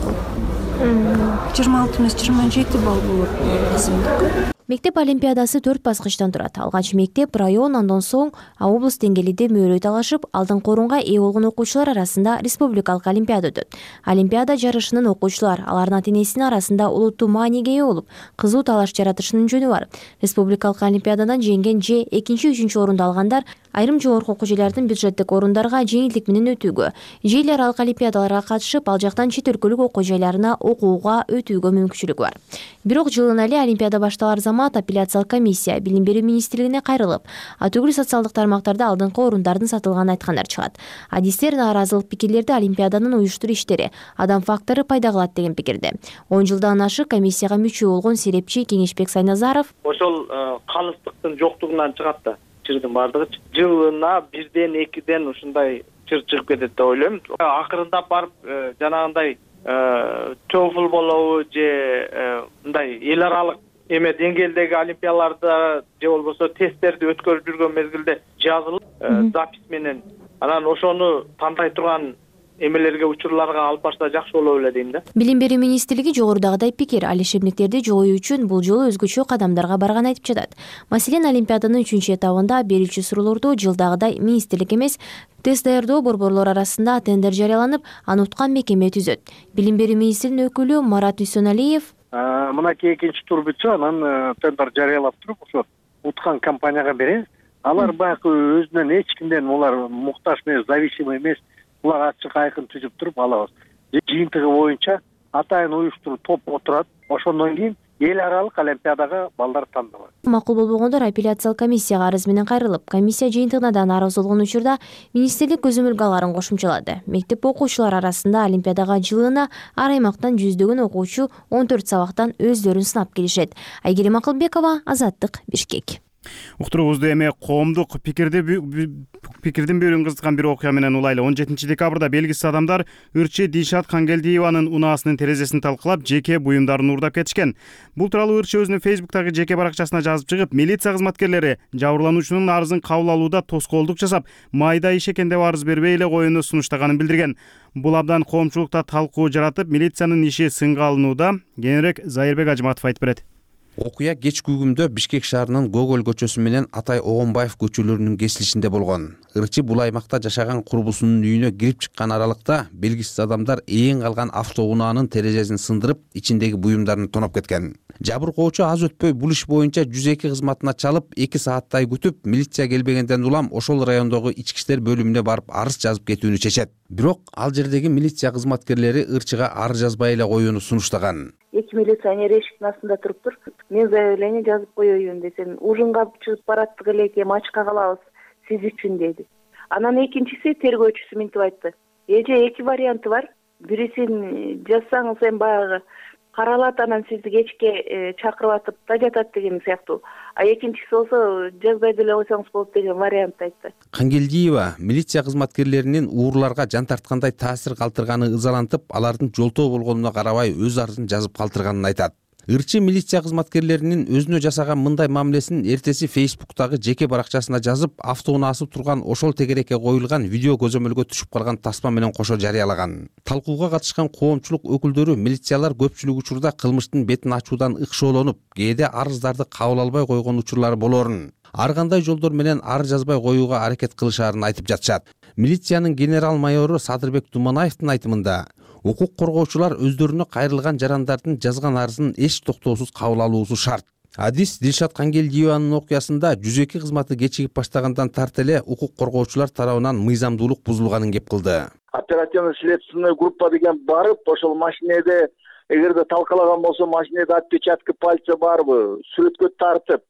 [SPEAKER 21] 26 эмес 27 балл болот кызымдыкы.
[SPEAKER 20] Мектеп олимпиадасы 4 баскычтан турат. Алгач мектеп, район, андан соң облус деңгээлинде мөөрөй талашып, алдыңкы орунга ээ болгон окуучулар арасында республикалык олимпиада өтөт. Олимпиада жарышынын окуучулар, алардын ата-энесинин арасында улуттуу мааниге ээ болуп, кызуу талаш жаратышынын жөнү бар. Республикалык олимпиададан жеңген же 2-3 орунду алгандар айрым жогорку окуу жайлардын бюджеттик орундарга жеңилдик менен өтүүгө, же эл аралык олимпиадаларга катышып, ал жактан чет өлкөлүк окуу жайларына окууга өтүүгө мүмкүнчүлүгү бар. Бирок жылына эле олимпиада башталар замат апелляциялык комиссия билим берүү министрлигине кайрылып, атүгүл социалдык тармактарда алдыңкы орундардын сатылганын айткандар чыгат. Адистер нааразылык пикирлерди олимпиаданын уюштуруу иштери, адам фактору пайда кылат деген пикирде. 10 жылдан ашык комиссияга мүчө болгон серепчи Кеңешбек Сайназаров
[SPEAKER 22] ошол калыстыктын жоктугунан чыгат да. Чырдын бардыгы жылына 1-2 ушундай чыр чыгып кетет деп ойлойм. Акырындап барып жанагындай TOEFL болобу же мындай эл аралык эме деңгээлдеги олимпиадаларда же болбосо тесттерди өткөрүп жүргөн мезгилде жазылып запись менен анан ошону тандай турган эмелерге учурларга алып барса жакшы болот эле дейм да.
[SPEAKER 20] Билим берүү министрлиги жогорудагыдай пикир, ал ишемдиктерди жоюу үчүн бул жолу өзгөчө кадамдарга барганын айтып жатат. Маселен, олимпиаданын 3-чү этабында берүүчү суроолорду жылдагыдай министрлик эмес, тест даярдоо борборлор арасында тендер жарыяланып, аны уткан мекеме түзөт. Билим берүү министринин өкүлү Марат Үсөналиев
[SPEAKER 4] мынакей экинчи тур бүтсө, анан тендер жарыялап туруп, ошо уткан компанияга беребиз. Алар баягы өзүнөн эч кимден улар муктаж эмес, зависимый эмес. Булар ачык айкын түзүп туруп алабыз. Жыйынтыгы боюнча атайын уюштуруп топ отурат. Ошондон кийин эл аралык олимпиадага балдар тандалат.
[SPEAKER 20] Макул болбогондор апелляциялык комиссияга арыз менен кайрылып, комиссия жыйынтыгына да нааразы болгон учурда министрлик көзөмөлгө кошумчалады. Мектеп окуучулары арасында олимпиадага жылына ар аймактан жүздөгөн окуучу 14 сабактан өздөрүн сынап келишет. Айгерим Акылбекова, Азаттык, Бишкек.
[SPEAKER 1] Уктуруубузду эми коомдук пикирдин берүүнү кызыккан бир окуя менен улайлы. 17 декабрда белгисиз адамдар ырчы Дилшат Кангелдиеванын унаасынын терезесин талкалап, жеке буюмдарын уурдап кетишкен. Бул тууралуу ырчы өзүнүн Facebook'тагы жеке баракчасына жазып чыгып, милиция кызматкерлери жабырлануучунун арызын кабыл алууда тоскоолдук жасап, майда иш экен деп арыз бербей эле коюуну сунуштаганын билдирген. Бул абдан коомчулукта талкуу жаратып, милициянын иши сынга алынууда. Кененирээк Зайырбек Ажматов айтып берет.
[SPEAKER 5] Окуя кеч күгүмдө Бишкек шаарынын Гоголь көчөсү менен Атай Огонбаев көчөлөрүнүн кесилишинде болгон. Ырчы бул аймакта жашаган курбусунун үйүнө кирип чыккан аралыкта белгисиз адамдар ээн калган автоунаанын терезесин сындырып, ичиндеги буюмдарын тоноп кеткен. Жабыркоочу аз өтпөй бул иш боюнча 102 кызматына чалып, 2 сааттай күтүп, милиция келбегенден улам ошол райондогу ички иштер бөлүмүнө барып арыз жазып кетүүнү чечет. Бирок ал жердеги милиция кызматкерлери ырчыга арыз жазбай эле коюуну сунуштаган.
[SPEAKER 23] 2 милиционер эшиктин астында туруптур. Мен заявление жазып коеюн десем, ужунга чыгып бараттык эле экен, ачка калабыз сиз үчүн деди. Анан экинчиси тергөөчүсү минтип айтты. Эже 2 варианты бар. Бирисин жазсаңыз эми баягы каралат, анан сизди кечке чакырып атып да жатат деген сыяктуу. А экинчиси болсо жазбай деле койсоңуз болот деген вариант айтты.
[SPEAKER 5] Кангелдиева милиция кызматкерлеринин уурларга жан тарткандай таасир калтырганы ызалантып, алардын жолтоо болгонуна карабай өз арызын жазып калтырганын айтат. Ырчы милиция кызматкерлеринин өзүнө жасаган мындай мамилесин эртеси Facebook'тагы жеке баракчасына жазып, автоунаасы турган ошол тегерекке коюлган видео көзөмөлгө түшүп калган тасма менен кошо жарыялаган. Талкууга катышкан коомчулук өкүлдөрү милициялар көпчүлүк учурда кылмыштын бетин ачуудан ыкшоолонуп, кээде арыздарды кабыл албай койгон учурлары болоорун, ар кандай жолдор менен арыз жазбай коюуга аракет кылышаарын айтып жатышат. Милициянын генерал-майору Садырбек Туманаевдин айтымында, укук коргоочулар өздөрүнө кайрылган жарандардын жазган арызын эч токтоосуз кабыл алуусу шарт. Адис Дилшат Кангелдиеванын окуясында 102 кызматы кечигип баштагандан тарт эле укук коргоочулар тарабынан мыйзамдуулук бузулганын кеп кылды.
[SPEAKER 24] Оперативно-следственный группа деген барып, ошол машинеде эгерде талкалаган болсо, машинеде отпечатки пальца барбы, сүрөткө тартып,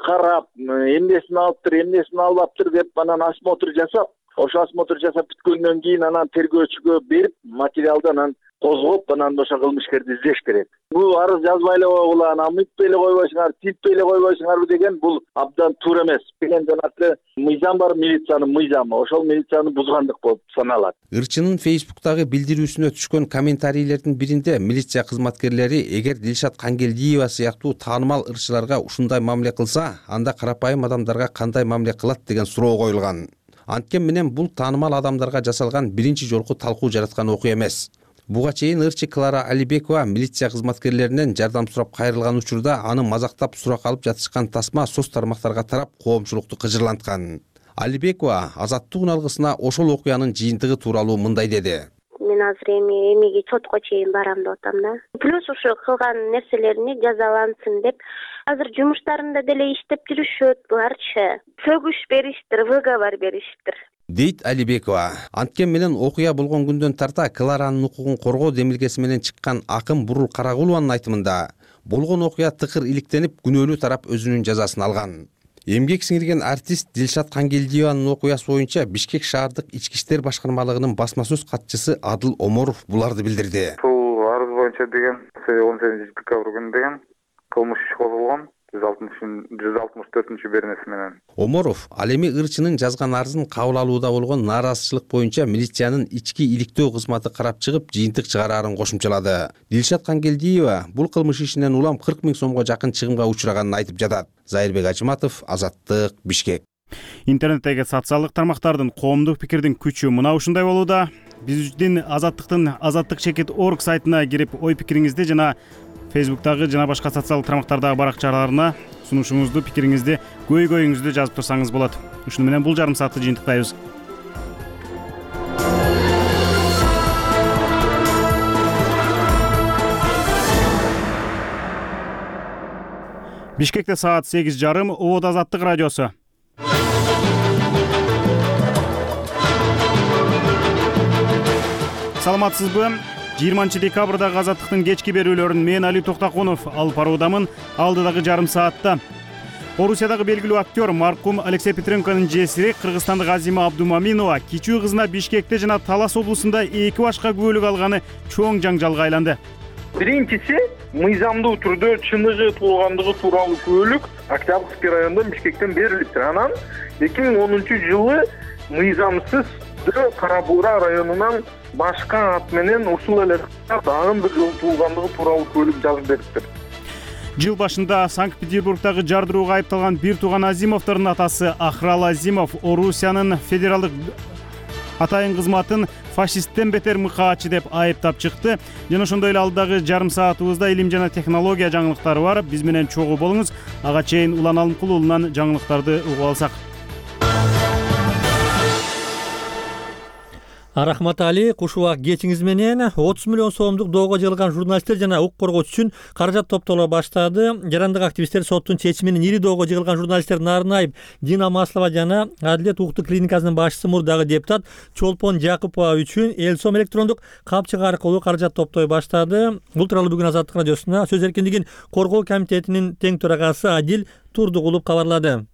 [SPEAKER 24] карап, эмнесин алыптыр, эмнесин албаптыр деп анан осмотр жасап, ошо осмотр жасап бүткөндөн кийин анан тергөөчүгө берип, материалды анан козгоп, анан ошо кылмышкерди издеш керек. Бул арыз жазбай эле койгула, анан мыйтпай эле койбойсуңар, тинтпей эле койбойсуңарбы деген бул абдан туура эмес. Деген жанагы мыйзам бар, милициянын мыйзамы, ошол милицияны бузгандык болуп саналат.
[SPEAKER 5] Ырчынын Facebook'тагы билдирүүсүнө түшкөн комментарийлердин биринде милиция кызматкерлери эгер Дилшат Кангелдиева сыяктуу таанымал ырчыларга ушундай мамиле кылса, анда карапайым адамдарга кандай мамиле кылат деген суроо коюлган. Анткен менен бул таанымал адамдарга жасалган биринчи жолку талкуу жараткан окуя эмес. Буга чейин ырчы Клара Алибекова милиция кызматкерлеринен жардам сурап кайрылган учурда аны мазактап сурак алып жатышкан тасма соц тармактарга тарап коомчулукту кыжырланткан. Алибекова Азаттык уналгысына ошол окуянын жыйынтыгы тууралуу мындай деди.
[SPEAKER 25] Мен азыр эмеге чотко чейин барам деп атам да. Плюс ушу кылган нерселерине жазалансын деп азыр жумуштарында деле иштеп жүрүшөт буларчы. Сөгүш бериштир, выговор бериштир.
[SPEAKER 5] Дейт Алибекова. Анткен менен окуя болгон күндөн тарта Кларанын укугун коргоо демилгеси менен чыккан Акым Бурул Карагулованын айтымында, болгон окуя тыкыр иликтенип, күнөөлүү тарап өзүнүн жазасын алган. Эмгек сиңирген артист Дилшат Кангелдиеванын окуясы боюнча Бишкек шаардык ички иштер башкармалыгынын басма сөз катчысы Адыл Оморов буларды билдирди.
[SPEAKER 26] Бул арыз боюнча деген 18 декабрь күнү деген кылмыш иш козголгон.
[SPEAKER 2] 164 беренеси менен.
[SPEAKER 5] Оморов ал эми ырчынын жазган арызын кабыл алууда болгон нааразычылык боюнча милициянын ички иликтөө кызматы карап чыгып жыйынтык чыгараарын кошумчалады. Дилшат Кангелдиева бул кылмыш ишинен улам 40 000 сомго жакын чыгымга учураганын айтып жатат. Зайырбек Ачыматов, Азаттык, Бишкек.
[SPEAKER 1] Интернеттеги социалдык тармактардын коомдук пикирдин күчү мына ушундай болууда. Биздин Азаттык чекит.org сайтына кирип ой пикириңизди жана Facebook'тагы жана башка социалдык тармактардагы баракчаларына сунушуңузду, пикириңизди, көйгөйүңүздү жазып турсаңыз болот. Ушуну менен бул жарым саатты жыйынтыктайбыз. Бишкекте саат 8:30, Обод Азаттык радиосу. Саламатсызбы? 20 декабрдагы Азаттыктын кечки берүүлөрүн мен Али Токтакунов алып баруудамын. Алдыдагы жарым саатта Орусиядагы белгилүү актер маркум Алексей Петренконун жесири Кыргызстандык Азима Абдумаминова кичүү кызына Бишкекте жана Талас облусунда 2 башка күбөлүк алганы чоң жаңжалга айланды.
[SPEAKER 3] Биринчиси мыйзамдуу түрдө чыныгы туулгандыгы тууралуу күбөлүк Октябрьский райондон Бишкектен берилиптир. Анан 2010-жылы мыйзамсыз Кара Буура районунан башка ат менен ушул эле дагы бир жолу туулгандыгы тууралуу күбөлүк жазып бериптир.
[SPEAKER 1] Жыл башында Санкт-Петербургдагы жардырууга айыпталган бир тууган Азимовдордун атасы Ахрал Азимов Орусиянын федералдык атайын кызматын фашисттен бетер мыкаачы деп айыптап чыкты. Жана ошондой эле алдагы жарым саатыбызда илим жана технология жаңылыктары бар. Биз менен чогуу болуңуз. Ага чейин Улан Алымкул уулунан жаңылыктарды угуп алсак.
[SPEAKER 7] Рахмат Али, куш убак кечиңиз менен 30 миллион сомдук доого жыгылган журналисттер жана укук коргоочу үчүн каражат топтоло баштады. Жарандык активисттер соттун чечиминин ири доого жыгылган журналисттердин арын айып Дина Маслова жана Адилет укуктук клиникасынын башчысы мурдагы депутат Чолпон Жакупова үчүн Элсом электрондук капчык аркылуу каражат топтой баштады. Бул тууралуу бүгүн Азаттык радиосуна сөз эркиндигин коргоо комитетинин тең төрагасы Адил Турдугулов кабарлады.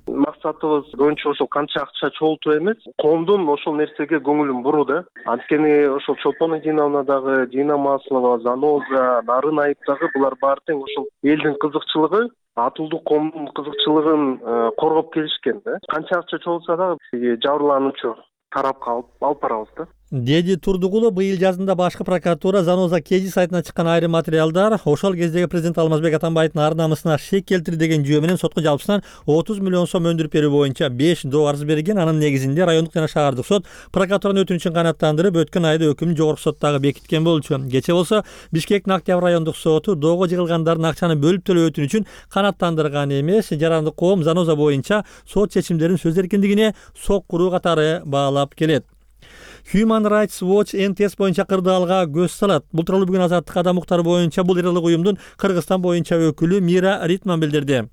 [SPEAKER 9] Максатыбыз көбүнчө ошол канча акча чогултуу эмес, коомдун ошол нерсеге көңүлүн буруу да. Анткени ошол Чолпон Динаны дагы, Дина Маслова, Заноза, Нарын Айып дагы булар баары тең ошол элдин кызыкчылыгы, атылдуу коомдун кызыкчылыгын коргоп келишкен да. Канча акча чогулса дагы жабырлануучу тарапка алып барабыз да.
[SPEAKER 7] Деди Турдугулов быйыл жазында башкы прокуратура Заноза Кежи сайтына чыккан айрым материалдар ошол кездеги президент Алмазбек Атамбаевдин ар намысына шек келтирди деген жүйө менен сотко жалпысынан 30 миллион сом өндүрүп берүү боюнча 5 доо арыз берген. Анын негизинде райондук жана шаардык сот прокуратуранын өтүнүчүн канааттандырып өткөн айда өкүмдү жогорку соттогу бекиткен болчу. Кечээ болсо Бишкектин Октябрь райондук соту доого жыгылгандардын акчаны бөлүп төлөө өтүнүчүн канааттандырган эмес, жарандык коом Заноза боюнча сот чечимдерин сөз эркиндигине соккуруу катары баалап келет. Human Rights Watch НТС боюнча кырдаалга көз салат. Бул тууралуу бүгүн Азаттык адам укуктары боюнча бул ыйрылык уюмдун Кыргызстан боюнча өкүлү Мира Ритман билдирди.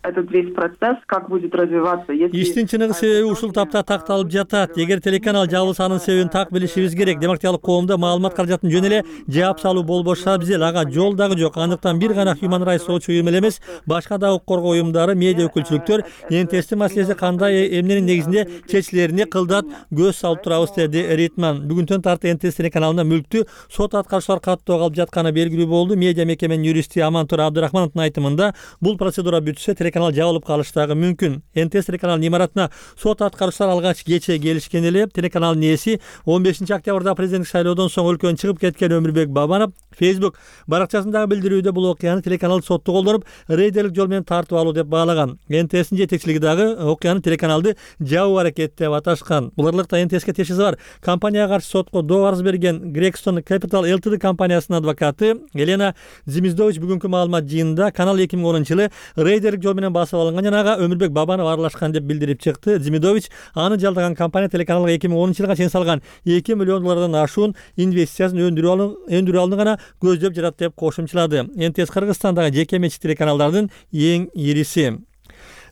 [SPEAKER 15] Этот весь процесс как будет развиваться, если
[SPEAKER 7] иштин чыныгы себеби ушул тапта такталып жатат. Эгер телеканал жабылса анын себебин так билишибиз керек. Демократиялык коомдо маалымат каражатын жөн эле жаап салуу болбошу абзел. Ага жол дагы жок. Андыктан бир гана Human Rights Watch уюму эле эмес, башка да укук коргоо уюмдары, медиа өкүлчүлүктөр НТСтин маселеси кандай эмненин негизинде чечилерине кылдат көз салып турабыз деди Ритман. Бүгүнтөн тарты НТС телеканалында мүлктү сот аткаручулар каттоого алып жатканы белгилүү болду. Медиа мекеменин юристи Амантур Абдырахмановдун айтымында бул процедура бүтсө телеканал жабылып калыштагы мүмкүн. НТС телеканалынын имаратына сот аткаручулар алгач кечээ келишкен эле. Телеканалдын ээси 15 октябрда президенттик шайлоодон соң өлкөнүн чыгып кеткен Өмүрбек Бабанов Facebook баракчасындагы билдирүүдө бул окуяны телеканал сотту колдонуп, рейдерлик жол менен тартып алуу деп баалаган. НТСтин жетекчилиги дагы окуяны телеканалды жабуу аракет деп аташкан. Бул аралыкта НТСке тиешеси бар компанияга каршы сотко доо арыз берген Gregson Capital Ltd компаниясынын адвокаты Елена Зимиздович бүгүнкү маалымат жыйынында канал 2010-жылы рейдерлик жол менен басып алынган жана ага Өмүрбек Бабанов аралашкан деп билдирип чыкты. Зимидович аны жалдаган компания телеканалга 2010-жылга чейин салган $2 миллион ашуун инвестициясын өндүрүү алынгана көздөп жатат деп кошумчалады. НТС Кыргызстандагы жеке менчик телеканалдардын эң ириси.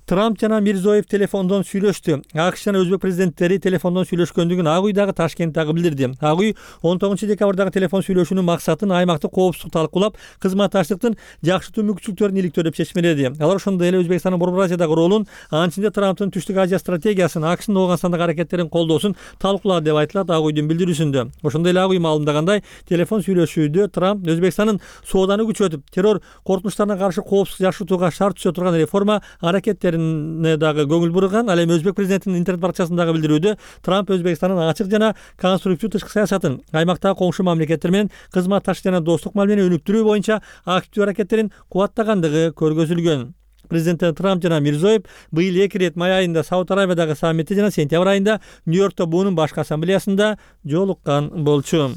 [SPEAKER 7] Трамп жана Мирзиёев телефондон сүйлөштү. АКШ жана Өзбек президенттери телефондон сүйлөшкөндүгүн Ак үй дагы Ташкент дагы билдирди. Ак үй 19 декабрдагы телефон сүйлөшүүнүн максатын аймактык коопсуздукту талкуулап, кызматташтыктын жакшыртуу мүмкүнчүлүктөрүн иликтөө деп чечмеледи. Алар ошондой эле Өзбекстандын Борбор Азиядагы ролун, анын ичинде Трамптын Түштүк Азия стратегиясын, АКШнын Ооганстандагы аракеттерин колдоосун талкуулады деп айтылат Ак үйдүн билдирүүсүндө. Ошондой эле Ак үй маалымдагандай, телефон сүйлөшүүдө Трамп Өзбекстандын сооданы күчөтүп, террор коркунучтарына каршы коопсуздук жакшыртууга шарт түзө турган реформа аракеттерине дагы көңүл бурган. Ал эми Өзбек президентинин интернет баракчасындагы билдирүүдө Трамп Өзбекстандын ачык жана конструктив тышкы саясатын, аймактагы коңшу мамлекеттер менен кызматташтык жана достук мал менен өнүктүрүү боюнча активдүү аракеттерин кубаттагандыгы көргөзүлгөн. Президенттер Трамп жана Мирзиёев быйыл 2 рет май айында Сауд Арабиядагы саммитте жана сентябрь айында Нью-Йоркто буунун башкы ассамблеясында жолуккан болчу.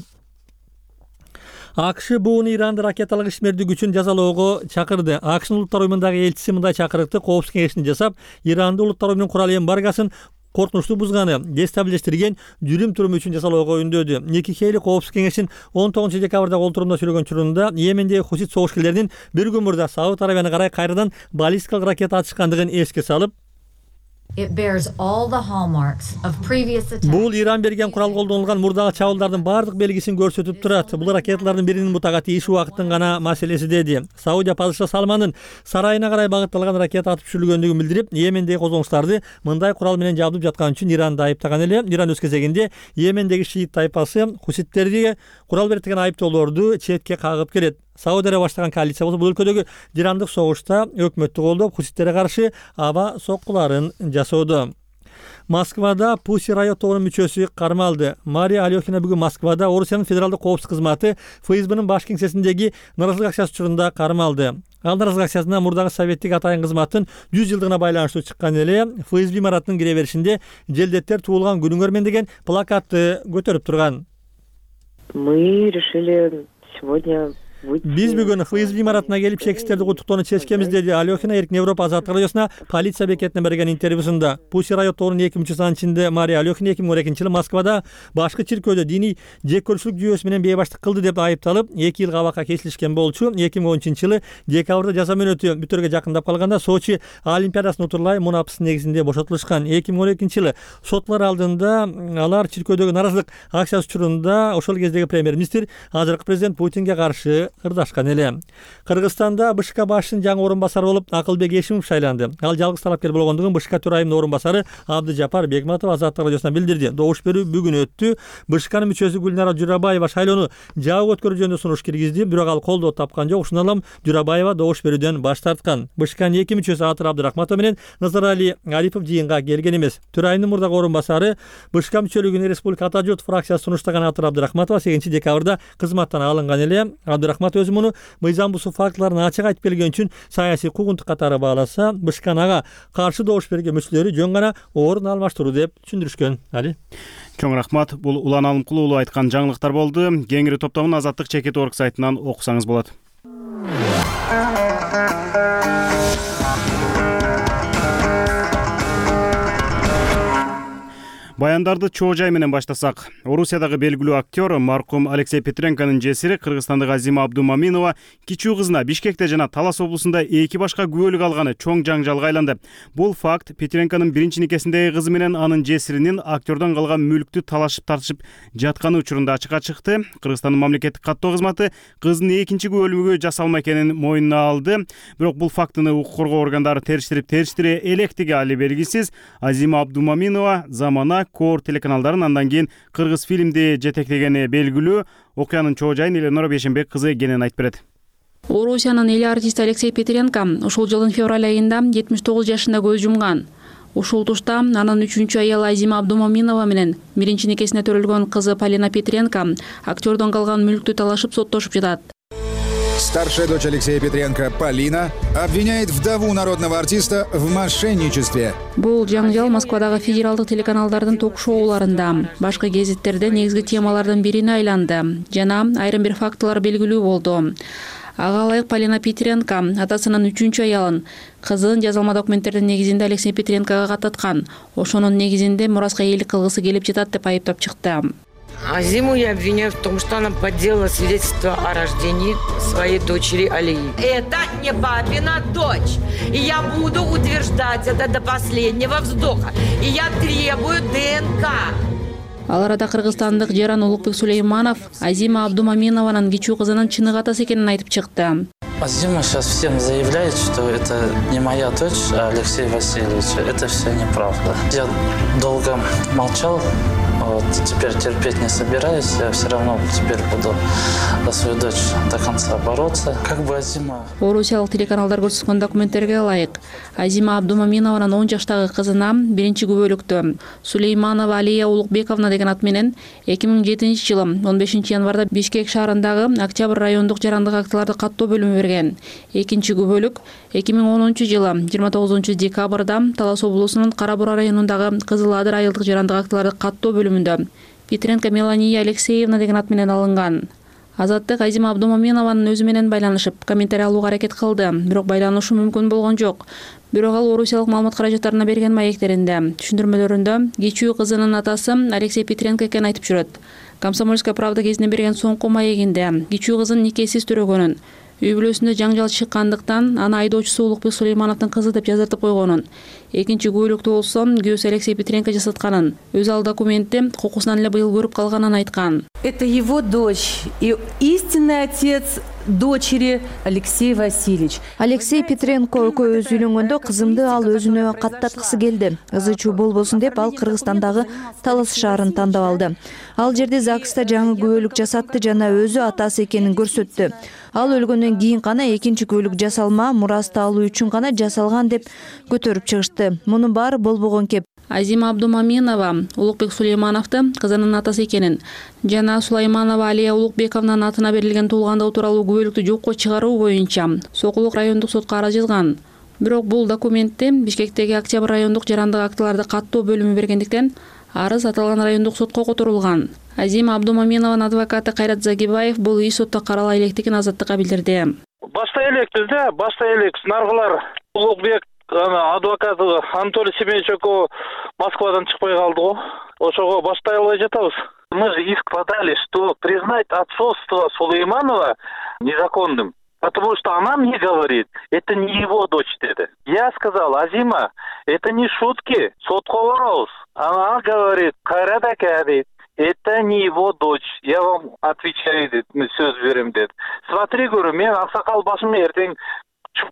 [SPEAKER 7] АКШ буунун Иранды ракеталык ишмердүү күчүн жазалоого чакырды. АКШнын улуттар уюмундагы элчиси мындай чакырыкты Коопсуздук кеңешине жасап, Иранды улуттар уюмунун курал эмбаргосын коркунучтуу бузганы, дестабилиздештирген жүрүм туруму үчүн жазалоого үндөдү. Ники Хейли Коопсуздук кеңештин 19 декабрдагы олтурумда сүйлөгөн учурунда Йемендеги хусит согушкерлеринин бир күн мурда Сауд Арабияны карай кайрадан баллистикалык ракета атышкандыгын эске салып, бул Иран берген курал колдонулган мурдагы чабуулдардын бардык белгисин көрсөтүп турат. Бул ракеталардын биринин бутага тийишүү убакыттын гана маселеси, деди. Саудия падыша Салмандын сарайына карай багытталган ракета атып түшүрүлгөндүгүн билдирип, Йемендеги козголуштарды мындай курал менен жабдып жаткан үчүн Иранды айыптаган эле. Иран өз кезегинде Йемендеги шиит тайпасы хуситтерди курал бердеген айыптоолорду четке кагып келет. Сауд Арабия баштаган коалиция болсо бул өлкөдөгү жирандык согушта өкмөттү колдоп, хуситтерге каршы аба соккуларын жасоодо. Москвада Pussy Riot тобунун мүчөсү кармалды. Мария Алёхина бүгүн Москвада Орусиянын федералдык коопсуздук кызматы ФСБнын баш кеңсесиндеги наразылык акциясы учурунда кармалды. Ал наразылык акциясына мурдагы советтик атайын кызматтын 100 жылдыгына байланыштуу чыккан эле ФСБ имаратынын кире беришинде «Желдеттер туулган күнүңөр мен» деген плакатты көтөрүп турган.
[SPEAKER 6] Мы решили сегодня
[SPEAKER 7] Биз бүгүн ФСБ имаратына келип чекистерди куттуктоону чечкенбиз, деди Алёхина Эркин Европа азаттык радиосуна полиция бекетине берген интервьюсунда. Pussy Riot тобунун 2 мүчөсү, анын ичинде Мария Алёхина 2012-жылы Москвада башкы чиркөөдө диний жеккөрүүчүлүк жүйөсү менен бейбаштык кылды деп айыпталып, 2 жыл кабакка кесилишкен болчу. 2013-жылы декабрда жаза мөөнөтү бүтөргө жакындап калганда Сочи Олимпиадасын утурлай мунапсыз негизинде бошотулушкан. 2012-жылы сотлор алдында алар чиркөөдөгү наразылык акциясы учурунда ошол кездеги премьер-министр азыркы президент Путинге каршы ырдашкан эле. Кыргызстанда БШК башчынын жаңы орун басары болуп Акылбек Эшимов шайланды. Ал жалгыз талапкер болгондугун БШК төрайымынын орун басары Абдыжапар Бегматов азаттык радиосуна билдирди. Добуш берүү бүгүн өттү. БШКнын мүчөсү Гүлнара Журабаева шайлоону жабык өткөрүү жөнүндө сунуш киргизди, бирок ал колдоо тапкан жок. Ушундан улам Журабаева добуш берүүдөн баш тарткан. БШКнын 2 мүчөсү Атыр Абдырахматов менен Назарали Арипов жыйынга келген эмес. Төрайымдын мурдагы орун басары БШК мүчөлүгүнө Республика Ата журт фракциясы сунуштаган Атыр Абдырахматова 8 декабрда кызматтан алынган эле. Абдырахматов өзү муну мыйзам бузуу фактыларын ачык айтып келген үчүн саясий куугунтук катары бааласа, БШКнын ага каршы добуш берген мүчөлөрү жөн гана орун алмаштыруу деп түшүндүрүшкөн. Али
[SPEAKER 1] чоң рахмат. Бул Улан Алымкулуу уулу айткан жаңылыктар болду. Кеңири топтомун Азаттык Чекит.org сайтынан окусаңыз болот. Баяндарды чоо жай менен баштасак. Орусиядагы белгилүү актер маркум Алексей Петренконун жесири Кыргызстандык Азима Абдумаминова кичүү кызына Бишкекте жана Талас облусунда 2 башка күбөлүк алганы чоң жаңжалга айланды. Бул факт Петренконун биринчи никесиндеги кызы менен анын жесиринин актердон калган мүлктү талашып тартышып жатканы учурунда ачыкка чыкты. Кыргызстандын мамлекеттик каттоо кызматы кызынын экинчи күбөлүгү жасалма экенин мойнуна алды. Бирок бул фактыны укук коргоо органдары териштире электиги али белгисиз. Азима Абдумаминова замана Кор телеканалдарын андан кийин Кыргыз фильмди жетектегени белгилүү. Окуянын чоо жайын Эленора Бешенбек кызы кенен айтып берет.
[SPEAKER 10] Орусиянын эл артисти Алексей Петренко ушул жылдын февраль айында 79 жашында көз жумган. Ушул тушта анын 3-чү аялы Азима Абдумаминова менен биринчи никесине төрөлгөн кызы Полина Петренко актердон калган мүлктү талашып соттошуп жатат.
[SPEAKER 11] Старшая дочь Алексея Петренко, Полина, обвиняет вдову народного артиста в мошенничестве.
[SPEAKER 10] Бул жаңжал Москвадагы федералдык телеканалдардын ток-шоуларында, башка гезиттерде негизги темалардын бирине айланды жана айрым бир фактылар белгилүү болду. Ага ылайык Полина Петренко атасынын 3-чү аялын, кызын жазалма документтердин негизинде Алексей Петренкого каттаткан. Ошонун негизинде мураска ээлик кылгысы келип жатат деп айыптап чыкты.
[SPEAKER 8] Азиму я обвиняю в том, что она подделала свидетельство о рождении своей дочери Алии. Это не папина дочь. И я буду утверждать это до последнего вздоха. И я требую ДНК.
[SPEAKER 10] Ал арада кыргызстандык Жаран Улукбек Сулейманов Азима Абдумаминованын кичүү кызынын чыныгы атасы экенин айтып чыкты.
[SPEAKER 12] Азима сейчас всем заявляет, что это не моя дочь, а Алексей Васильевич. Это все неправда. Я долго молчал, вот теперь терпеть не собираюсь. Я все равно теперь буду за свою дочь до конца бороться. Как бы Азима...
[SPEAKER 10] Орусиялык телеканалдар көрсөткөн документтерге ылайык, Азима Абдумаминованын 10 жаштагы кызына биринчи күбөлүктө Сулейманова Алия Улукбековна деген ат менен 2007-жылы 15 январда Бишкек шаарындагы Октябрь райондук жарандык актыларды каттоо бөлүмү берген. Экинчи күбөлүк 2010-жылы 29 декабрда Талас облусунун Кара Бура районундагы Кызыл Адыр айылдык жарандык актыларды каттоо бөлүмүндө Петренко Мелания Алексеевна деген ат менен алынган. Азаттык Азима Абдумаминованын өзү менен байланышып, комментарий алууга аракет кылды, бирок байланышу мүмкүн болгон жок. Бирок ал Орусиялык маалымат каражаттарына берген маектеринде, түшүндүрмөлөрүндө кичүү кызынын атасы Алексей Петренко экенин айтып жүрөт. Комсомольская правда кезинде берген соңку маегинде кичүү кызын никесиз төрөгөнүн, үй бүлөсүндө жаңжал чыккандыктан аны айдоочусу Улукбек Сулеймановдун кызы деп жаздыртып койгонун, экинчи күбөлүктө болсо күйөөсү Алексей Петренко жасатканын, өзү ал документти кокусунан эле быйыл көрүп калганын айткан.
[SPEAKER 13] Это его дочь и истинный отец дочери Алексей Васильевич.
[SPEAKER 14] Алексей Петренко экөөбүз үйлөнгөндө кызымды ал өзүнө каттаткысы келди. Ызы чуу болбосун деп ал Кыргызстандагы Талас шаарын тандап алды. Ал жерде ЗАГСта жаңы күбөлүк жасатты жана өзү атасы экенин көрсөттү. Ал өлгөндөн кийин гана экинчи күбөлүк жасалма, мурасты алуу үчүн гана жасалган деп көтөрүп чыгышты. Мунун баары болбогон кеп.
[SPEAKER 10] Азима Абдумаминова Улукбек Сулеймановду кызынын атасы экенин жана Сулайманова Алия Улукбековнанын атына берилген туулгандыгы тууралуу күбөлүктү жокко чыгаруу боюнча Сокулук райондук сотко арыз жазган. Бирок бул документти Бишкектеги Октябрь райондук жарандык актыларды каттоо бөлүмү бергендиктен арыз аталган райондук сотко которулган. Азима Абдумаминованын адвокаты Кайрат Загибаев бул иш сотто карала электигин Азаттыкка билдирди.
[SPEAKER 22] Баштай элекпиз да, баштай элек наргылар Улукбек адвокаты Анатолий Семенович Москвадан чыкпай калды го. Ошого баштай албай жатабыз. Мы же иск подали, что признать отцовство Сулейманова незаконным. Потому что она мне говорит, это не его дочь dedi. Я сказал, Азима, это не шутки, сотко барабыз. Она говорит, Кайрат ака дейт, это не его дочь. Я вам отвечаю, дейт, сөз берем дейт. Смотри, говорю, мен аксакал башым эртең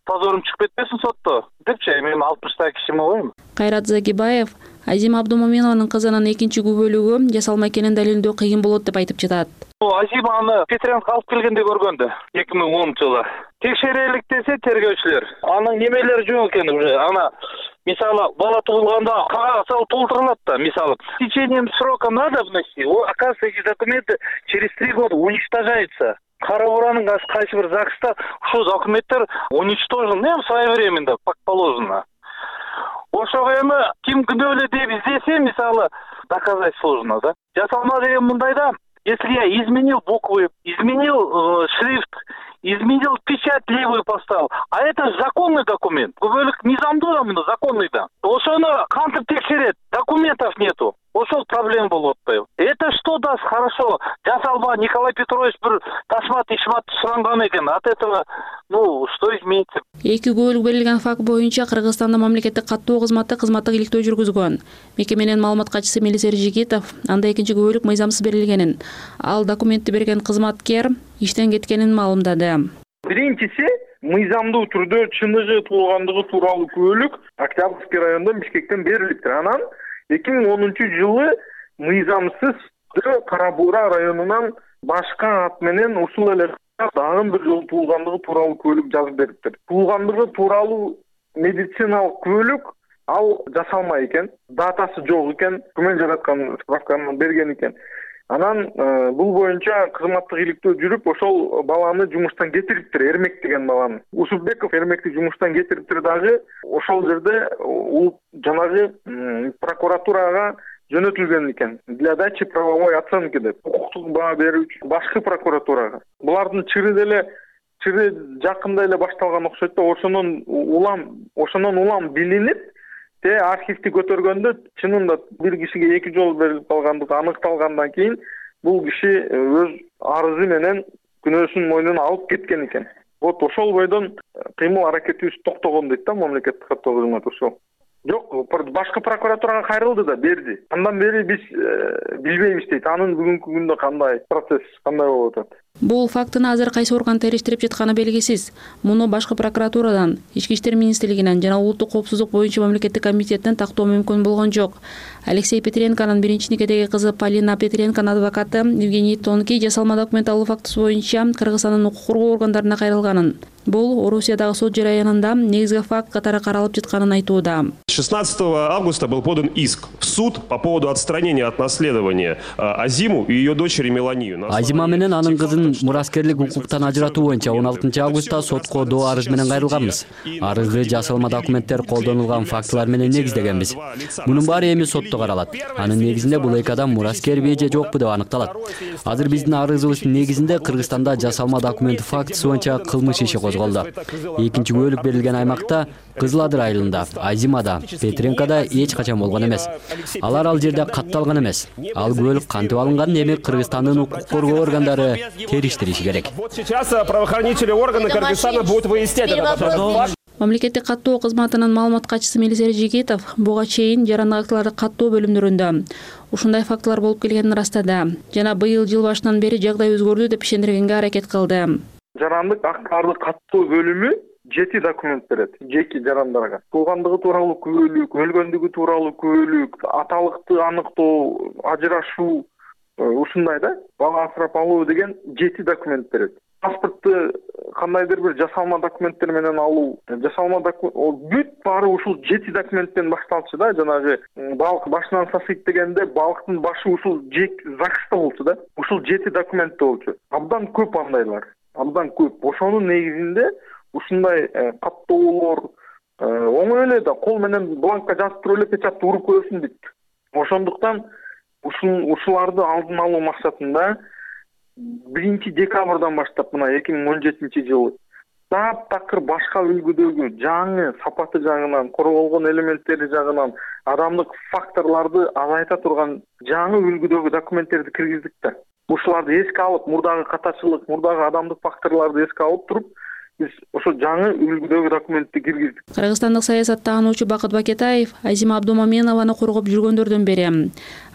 [SPEAKER 22] позорум чыгып кетпесин сотто депчи, мен 60 кишими койм.
[SPEAKER 10] Кайрат Загибаев Азима Абдумаминованын кызынын экинчи күбөлүгү жасалма экенин далилдөө кыйын болот деп айтып жатат.
[SPEAKER 22] Азиманы Петренко алып келгенде көргөндө 2010-жылы текшерелик десе тергөөчүлөр анын немелери жок экен уже. Ана мисалы бала туулганда кагаз алып толтурулат да, мисалы с течением срока надо внести, оказывается эти документы через 3 года уничтожаются. Кара Буранын кайсы бир ЗАГСта ушул документтер уничтожены своевременно, как положено. Ошого эми ким күнөөлүү деп издесе, мисалы доказать сложно, да. Жасалма деген мындайда, если я изменил буквы, изменил шрифт, изменил печать левую поставил, а это законный документ. Күбөлүк мыйзамдуу да, мында законный да. Ошону кантип текшерет? Документов нету. Ошол проблема болуп атпайбы? Это что даст? Хорошо. Жасалма Николай Петрович бир ташмат ишмат суранган экен. От этого, что изменится?
[SPEAKER 10] Эки күбөлүк берилген факт боюнча Кыргызстанда мамлекеттик каттоо кызматы кызматтык иликтөө жүргүзгөн. Мекеменин маалымат катчысы Мелисер Жигитов анда экинчи күбөлүк мыйзамсыз берилгенин, ал документти берген кызматкер иштен кеткенин маалымдады.
[SPEAKER 3] Биринчиси мыйзамдуу түрдө чыныгы туулгандыгы тууралуу күбөлүк Октябрьский райондон Бишкектен берилиптир. Анан 2010-жылы мыйзамсыз Кара Бура районунан башка ат менен ушул эле дагы бир жолу туулгандыгы тууралуу күбөлүк жазып бериптир. Туулгандыгы тууралуу медициналык күбөлүк ал жасалма экен, датасы жок экен, күмөн жараткан справканы берген экен. Анан бул боюнча кызматтык иликтөө жүрүп, ошол баланы жумуштан кетириптир, Эрмек деген баланы. Усупбеков Эрмекти жумуштан кетириптир дагы. Ошол жерде жанагы прокуратурага жөнөтүлгөн экен. Для дачи правовой оценки деп, укуктук баа берүүчү башкы прокуратурага. Булардын чыры жакында эле башталган окшойт да, ошонун улам билинип, архивди көтөргөндө чынында бир кишиге 2 жолу берилип калгандыгы аныкталгандан кийин бул киши өз арызы менен күнөөсүн мойнуна алып кеткен экен. Вот ошол бойдон кыймыл аракетибиз токтогон дейт да мамлекеттик каттоо кызматы ошол. Жок, башкы прокуратурага кайрылды да берди. Андан бери биз билбейбиз дейт. Анын бүгүнкү күндө кандай процесс, кандай болуп атат.
[SPEAKER 10] Бул фактыны азыр кайсы орган териштирип жатканы белгисиз. Муну башкы прокуратурадан, Ички иштер министрлигинен жана Улуттук коопсуздук боюнча мамлекеттик комитеттен тактоо мүмкүн болгон жок. Алексей Петренконун биринчи никедеги кызы Полина Петренконун адвокаты Евгений Тонкий жасалма документ алуу фактысы боюнча Кыргызстандын укук коргоо органдарына кайрылганын. Бул Орусиядагы сот жараянында негизги факт катары каралып жатканын айтууда.
[SPEAKER 16] 16 августа был подан иск в суд по поводу отстранения от наследования Азиму и ее дочери Меланию.
[SPEAKER 17] Азима менен анын кызын мураскерлик укуктан ажыратуу боюнча 16 августта сотко доо арыз менен кайрылганбыз. Арызды жасалма документтер колдонулган фактылар менен негиздегенбиз. Мунун баары эми сотто каралат. Анын негизинде бул эки адам мураскерби же жокпу деп аныкталат. Азыр биздин арызыбыз негизинде Кыргызстанда жасалма документ фактысы боюнча кылмыш иши козголду. Экинчи күбөлүк берилген аймакта Кызыл Адыр айылында, Азимада, Петренкода эч качан болгон эмес. Алар ал жерде катталган эмес. Ал күбөлүк кантип алынган, эми Кыргызстандын укук коргоо органдары териштириши керек.
[SPEAKER 16] Вот сейчас правоохранительные органы Кыргызстана будут выяснять этот вопрос.
[SPEAKER 10] Мамлекеттик каттоо кызматынын маалымат катчысы Мелисер Жигитов буга чейин жарандык актыларды каттоо бөлүмдөрүндө ушундай фактылар болуп келгенин ырастады жана быйыл жыл башынан бери жагдай өзгөрдү деп ишендиргенге аракет кылды.
[SPEAKER 3] Жарандык актыларды каттоо бөлүмү 7 документ берет жеке жарандарга. Туулгандыгы тууралуу күбөлүк, өлгөндүгү тууралуу күбөлүк, аталыкты аныктоо, ажырашуу, ушундай да, бала асырап алуу деген 7 документ берет. Паспортты кандайдыр бир жасалма документтер менен алуу, жасалма бүт баары ушул 7 документтен башталчу да, жанагы балык башынан сасыйт дегенде балыктын башы ушул ЗАГСта болчу да. Ушул 7 документте болчу. Абдан көп андайлар. Абдан көп. Ошонун негизинде ушундай каттоолор оңой эле да кол менен бланкка жазып туруп эле печатты уруп коесуң дейт. Ошондуктан ушуларды алдын алуу максатында 1 декабрдан баштап мына 2017 жылы таптакыр башка үлгүдөгү жаңы сапаты жагынан, корголгон элементтери жагынан адамдык факторлорду азайта турган жаңы үлгүдөгү документтерди киргиздик да. Ушуларды эске алып, мурдагы катачылык, мурдагы адамдык факторлорду эске алып туруп, биз ошо жаңы үлгүдөгү документти киргиздик.
[SPEAKER 10] Кыргызстандык саясаттануучу Бакыт Бакетаев Азима Абдумаменованы коргоп жүргөндөрдөн бири.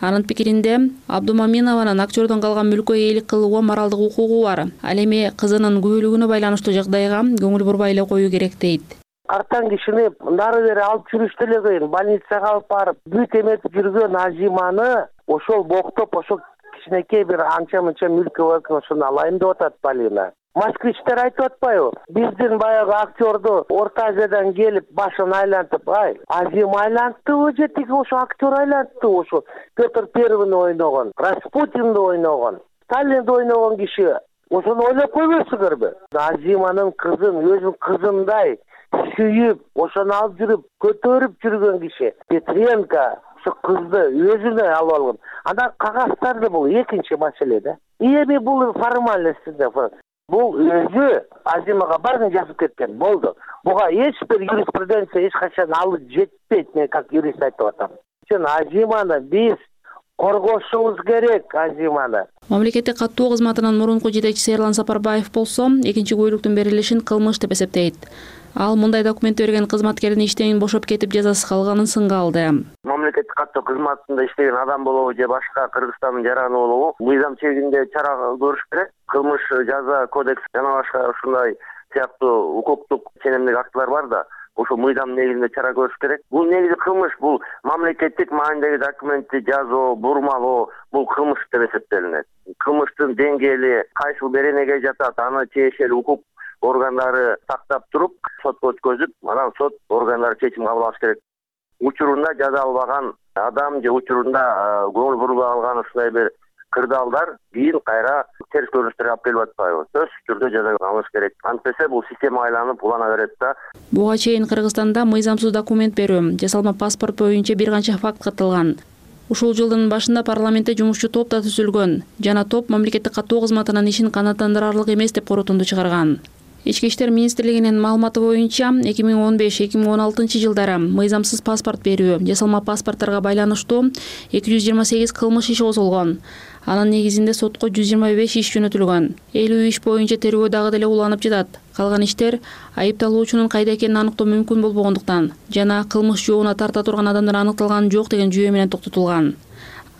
[SPEAKER 10] Анын пикиринде Абдумаменованын актёрдон калган мүлккө ээлик кылууга моралдык укугу бар. Ал эми кызынын күбөлүгүнө байланыштуу жагдайга көңүл бурбай эле коюу керек дейт.
[SPEAKER 18] Артан кишини нары бери алып жүрүштү эле кыйын. Больницага алып барып, бүт эметип жүргөн Азиманы ошол боктоп, ошол кичинекей бир анча-мынча мүлкү бар, ошону алайын деп атат Полина. Москвичтер айтып атпайбы? Биздин баягы актёрду Орто Азиядан келип башын айлантып, Азим айлантыбы же тиги ошо актер айлантыбы ошо Петр Первыйны ойногон, Распутинди ойногон, Сталинди ойногон киши ошону ойлоп койбойсуңарбы? Азиманын кызын өзүнүн кызындай сүйүп, ошону алып жүрүп, көтөрүп жүргөн киши Петренко ошо кызды өзүнө алып алган. Анда кагаздарды бул экинчи маселе да. Эми бул формальностьтинде бул өзү Азимага баарын жазып кеткен болду. Буга эч бир юриспруденция эч качан алып жетпейт, мен как юрист айтып атам. Үчүн Азиманы биз коргошубуз керек, Азиманы.
[SPEAKER 10] Мамлекеттик каттоо кызматынын мурунку жетекчиси Эрлан Сапарбаев болсо, экинчи күбөлүктүн берилишин кылмыш деп эсептейт. Ал мындай документ берген кызматкердин иштен бошоп кетип жазасы калганын сынга алды.
[SPEAKER 18] Мамлекеттик каттоо кызматында иштеген адам болобу же башка Кыргызстандын жараны болобу, мыйзам чегинде чара көрүш керек. Кылмыш жаза кодекс жана башка ушундай сыяктуу укуктук ченемдик актылар бар да, ошо мыйзам негизинде чара көрүш керек. Бул негизи кылмыш, бул мамлекеттик маанидеги документти жазуу, бурмалоо, бул кылмыш деп эсептелинет. Кылмыштын деңгээли кайсыл беренеге жатат, аны тиешелүү укук органдары тактап туруп, сотко өткөзүп, анан сот органдары чечим кабыл алыш керек. Учурунда жаза албаган адам же учурунда көңүл бурбай алган ушундай бир кырдаалдар кийин кайра терс көрүнүштөр алып келип атпайбы? Сөзсүз түрдө жаза алыш керек. Антпесе бул система айланып улана берет да.
[SPEAKER 10] Буга чейин Кыргызстанда мыйзамсыз документ берүү, жасалма паспорт боюнча бир канча факт катталган. Ушул жылдын башында парламентте жумушчу топ да түзүлгөн жана топ мамлекеттик каттоо кызматынын ишин канааттандырарлык эмес деп корутунду чыгарган. Ички иштер министрлигинин маалыматы боюнча 2015-2016 жылдары мыйзамсыз паспорт берүү, жасалма паспорттарга байланыштуу 228 кылмыш иши козголгон. Анын негизинде сотко 125 иш жөнөтүлгөн. 50 иш боюнча тергөө дагы деле уланып жатат. Калган иштер айыпталуучунун кайда экенин аныктоо мүмкүн болбогондуктан жана кылмыш жообуна тарта турган адамдар аныкталган жок деген жүйө менен токтотулган.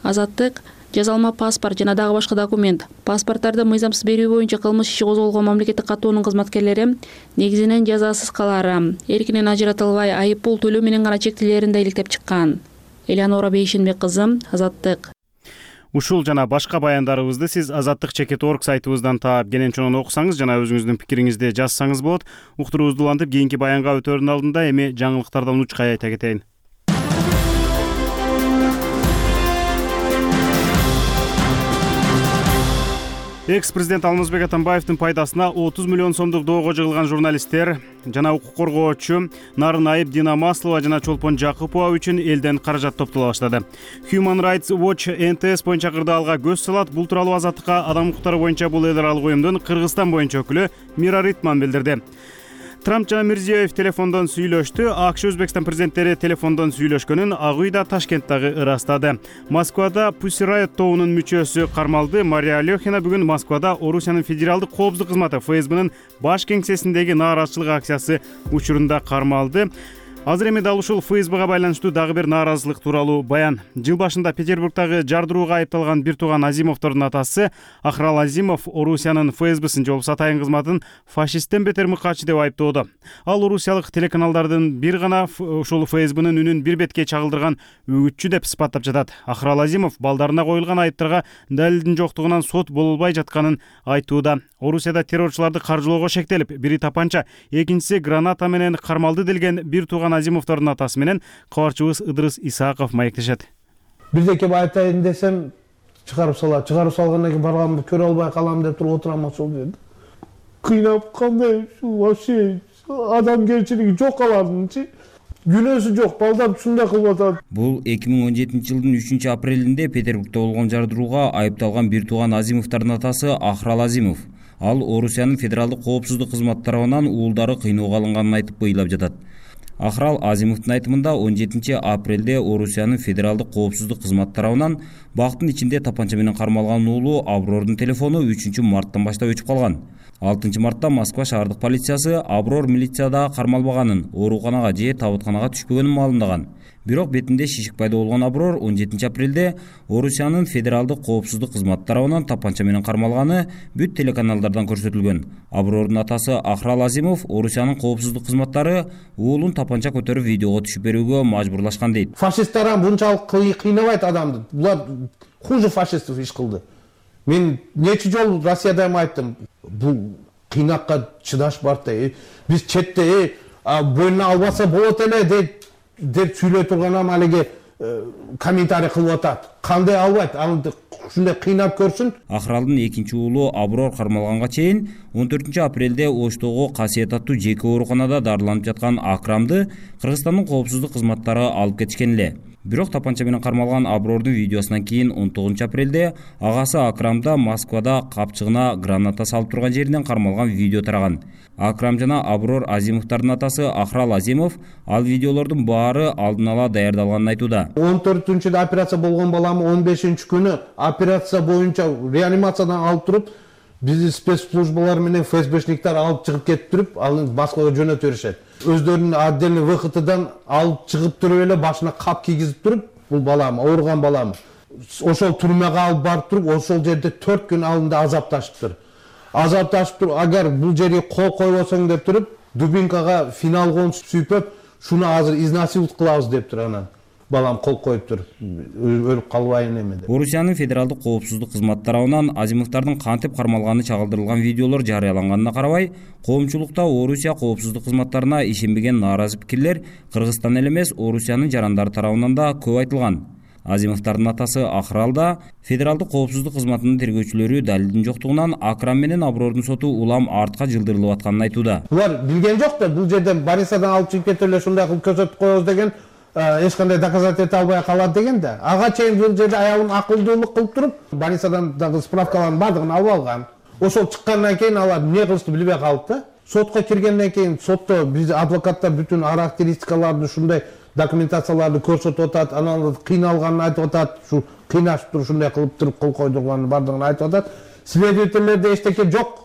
[SPEAKER 10] Азаттык жазалма паспорт жана дагы башка документ, паспорттарды мыйзамсыз берүү боюнча кылмыш иши козголгон мамлекеттик каттоонун кызматкерлери негизинен жазасыз калаары, эркинен ажыратылбай айып пул төлөө менен гана чектелерин да иликтеп чыккан. Элеонора Бейшенбек кызы, Азаттык.
[SPEAKER 1] Ушул жана башка баяндарыбызды сиз azattik.org сайтыбыздан таап кенен окусаңыз жана өзүңүздүн пикириңизди жазсаңыз болот. Уктуруубузду улантып кийинки баянга өтөөрдүн алдында эми жаңылыктардан учкай айта кетейин. Экс-президент Алмазбек Атамбаевдин пайдасына 30 миллион сомдук доого жыгылган журналисттер жана укук коргоочу Нарын Айып, Дина Маслова жана Чолпон Жакупова үчүн элден каражат топтола баштады. Human Rights Watch НТС боюнча кырдаалга көз салат. Бул тууралуу Азаттыкка адам укуктары боюнча бул эл аралык уюмдун Кыргызстан боюнча өкүлү Мира Ритман билдирди. Трамп жана Мирзиёев телефондон сүйлөштү. АКШ Өзбекстан президенттери телефондон сүйлөшкөнүн Ак үй да Ташкенттагы ырастады. Москвада Pussy Riot тобунун мүчөсү кармалды. Мария Алехина бүгүн Москвада Орусиянын федералдык коопсуздук кызматы ФСБнын баш кеңсесиндеги нааразычылык акциясы учурунда кармалды. Азыр эми дал ушул ФСБга байланыштуу дагы бир нааразычылык тууралуу баян. Жыл башында Петербургдагы жардырууга айыпталган бир тууган Азимовдордун атасы Ахрал Азимов Орусиянын ФСБсин жолуп сатайын кызматын фашисттен бетер мыкаачы деп айыптоодо. Ал орусиялык телеканалдардын бир гана ушул ФСБнын үнүн бир бетке чагылдырган үгүтчү деп сыпаттап жатат. Ахрал Азимов балдарына коюлган айыптарга далилдин жоктугунан сот болбой жатканын айтууда. Орусияда террорчуларды каржылоого шектелип, бири тапанча, экинчиси граната менен кармалды делген бир тууган Азимовдордун атасы менен кабарчыбыз Ыдырыс Исааков маектешет.
[SPEAKER 4] Бирдеке айтайын десем, чыгарып салат. Чыгарып салгандан кийин барганымды көрө албай калам деп туруп отурам ошол жерде. Кыйнап кандай вообще адамгерчилиги жок алардынчы. Күнөөсү жок, балдар ушундай кылып атат.
[SPEAKER 19] Бул 2017-жылдын 3-апрелинде Петербургда болгон жардырууга айыпталган бир тууган Азимовдордун атасы Ахрал Азимов. Ал Орусиянын федералдык коопсуздук кызматы тарабынан уулдары кыйноого алынганын айтып быйлап жатат. Ахрал Азимовдун айтымында 17-апрелде Орусиянын федералдык коопсуздук кызматы тарабынан бактын ичинде тапанча менен кармалган уулу Абрордун телефону 3-марттан баштап өчүп калган. 6-мартта Москва шаардык полициясы Аброр милицияда кармалбаганын, ооруканага же табытканага түшпөгөнүн маалымдаган. Бирок бетинде шишик пайда болгон Аброр 17-апрелде Орусиянын федералдык коопсуздук кызматы тарабынан тапанча менен кармалганы бүт телеканалдардан көрсөтүлгөн. Абрордун атасы Ахрал Азимов Орусиянын коопсуздук кызматтары уулун тапанча көтөрүп видеого түшүп берүүгө мажбурлашкан дейт.
[SPEAKER 4] Фашисттер бунчалык кыйнабайт адамды. Булар хуже фашистов иш кылды. Мен нече жолу Россияда айттым. Бул кыйнакка чыдаш бар да. Биз четте бойуна албаса болот эле деп сүйлөй турганам, алиги комментарий кылып атат. Кандай албайт? Аны ушундай кыйнап көрсүн.
[SPEAKER 19] Ахралдын экинчи уулу Аброр кармалганга чейин 14-апрелде Оштогу Касиет аттуу жеке ооруканада дарыланып жаткан Акрамды Кыргызстандын коопсуздук кызматтары алып кетишкен эле. Бирок тапанча менен кармалган Абрордун видеосунан кийин 19-апрелде агасы Акрамда Москвада капчыгына граната салып турган жеринен кармалган видео тараган. Акрам жана Аброр Азимовдордун атасы Ахрал Азимов ал видеолордун баары алдын ала даярдалганын айтууда.
[SPEAKER 4] 14-да операция болгон баламы 15-күнү операция боюнча реанимациядан алып туруп, биздин спецслужбалар менен ФСБшниктер алып чыгып кетип туруп, аны Москвага жөнөтүп беришет. Өздөрүнүн отдельный выходыдан алып чыгып туруп эле башына кап кийгизип туруп, бул балам, ооруган балам. Ошол түрмөгө алып барып туруп, ошол жерде 4 күн алдында азапташыптыр. Агар бул жерге кол койбосоң деп туруп, дубинкага финалгон сүйпөп, шуну азыр изнасиловать кылабыз деп туруп анан балам кол коюп туруп, өлүп калбайын эме деп.
[SPEAKER 19] Орусиянын федералдык коопсуздук кызматы тарабынан Азимовдордун кантип кармалганы чагылдырылган видеолор жарыяланганына карабай, коомчулукта Орусия коопсуздук кызматтарына ишенбеген нааразы пикирлер Кыргызстан эле эмес, Орусиянын жарандары тарабынан да көп айтылган. Азимовдордун атасы Ахралда федералдык коопсуздук кызматынын тергөөчүлөрү далилдин жоктугунан Акрам менен Абрордун соту улам артка жылдырылып атканын айтууда.
[SPEAKER 4] Булар билген жок да, бул жерден больницадан алып чыгып кетип эле ушундай кылып көрсөтүп коебуз деген, эч кандай доказательство эте албай калат деген да. Ага чейин бул жерде аялым акылдуулук кылып туруп, больницадан дагы справкалардын бардыгын алып алган. Ошол чыккандан кийин алар эмне кылышты билбей калып да. сотко киргенден кийин сотто биз адвокаттар бүтүн характеристикаларды ушундай документацияларды көрсөтүп атат, анан кыйналганын айтып атат, ушу кыйнашып туруп ушундай кылып туруп кол койдурганын баардыгын айтып атат. Следовательдерде эчтеке жок